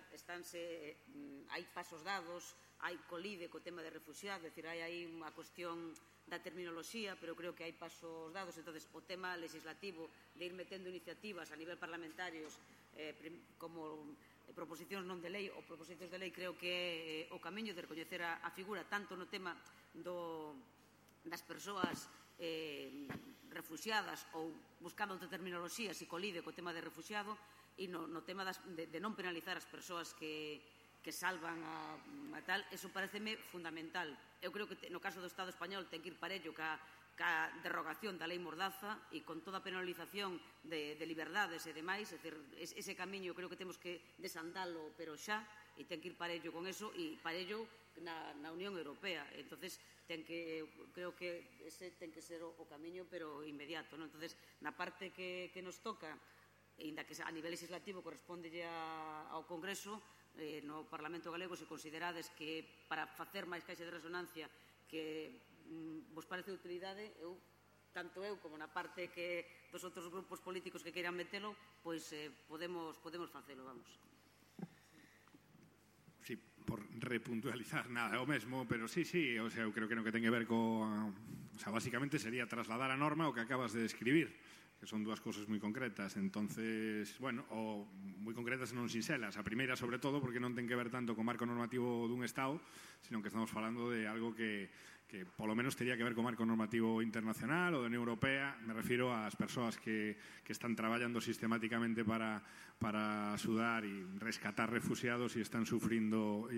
B: hai pasos dados, hai colide co tema de refuxiados, é dicir, hai aí unha cuestión da terminoloxía, pero creo que hai pasos dados. Entonces, o tema legislativo de ir metendo iniciativas a nivel parlamentarios como proposicións non de lei ou proposicións de lei, creo que é o camiño de recoñecer a figura tanto no tema das persoas refuxiadas ou buscando outra terminoloxía se colide co tema de refuxiado e no tema de non penalizar as persoas que salvan a tal. Eso pareceme fundamental. Eu creo que no caso do Estado español ten que ir parello ca derrogación da lei Mordaza e con toda a penalización de liberdades e demais. É dicir, ese camiño creo que temos que desandalo, pero xa, e ten que ir parello con eso e parello na Unión Europea. Entonces, creo que ese ten que ser o camiño, pero inmediato. Entonces, na parte que nos toca, ainda que a nivel legislativo corresponde ao Congreso, no Parlamento Galego, se considerades que para facer máis caixa de resonancia que vos parece de utilidade, tanto eu como na parte que dos outros grupos políticos que queiran metelo, pois podemos facelo, vamos.
D: Sí, por repuntualizar nada, é o mesmo, pero sí, o sea, eu creo que non que ten que ver o sea, básicamente sería trasladar a norma o que acabas de describir, que son dúas cousas moi concretas. Entonces, bueno, o moi concretas e non sinxelas. A primeira, sobre todo, porque non ten que ver tanto co marco normativo dun Estado, sino que estamos falando de algo que polo menos teria que ver co marco normativo internacional ou da Unión Europea. Me refiro ás persoas que están traballando sistemáticamente para axudar e rescatar refugiados e están sufrindo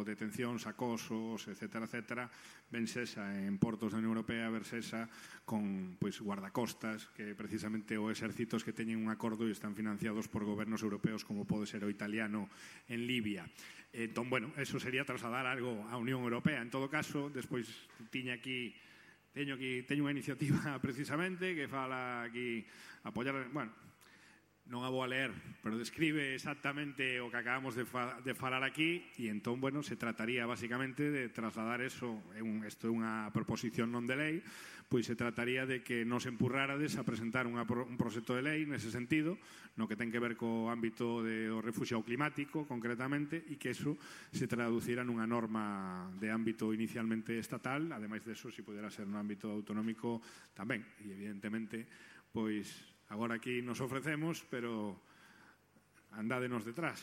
D: detencións, acosos, etcétera, ben sexa en portos da Unión Europea, ver sexa con guardacostas, que precisamente o exércitos que teñen un acordo e están financiados por gobernos europeos como pode ser o italiano en Libia. Entón, bueno, eso sería trasladar algo á Unión Europea. En todo caso, despois teño unha iniciativa precisamente que fala aquí apoiar, bueno, non a vou a leer, pero describe exactamente o que acabamos de falar aquí e entón, bueno, se trataría basicamente de trasladar eso, isto é unha proposición non de lei, pois se trataría de que nos empurrárades a presentar un proxecto de lei nese sentido, no que ten que ver co ámbito do refuxiado climático, concretamente, e que eso se traducira nunha norma de ámbito inicialmente estatal, ademais de eso, se pudera ser no ámbito autonómico tamén, e evidentemente, pois agora aquí nos ofrecemos, pero andádenos detrás.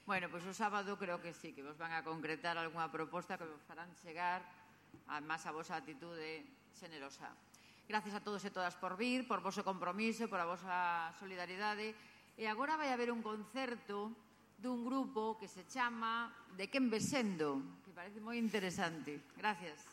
A: Bueno, pois o sábado creo que sí, que vos van a concretar algunha proposta que vos farán chegar además a vosa atitude xenerosa. Gracias a todos e todas por vir, por voso compromiso, por a vosa solidaridade. E agora vai haber un concerto dun grupo que se chama De Quen Ves Sendo, que parece moi interesante. Gracias.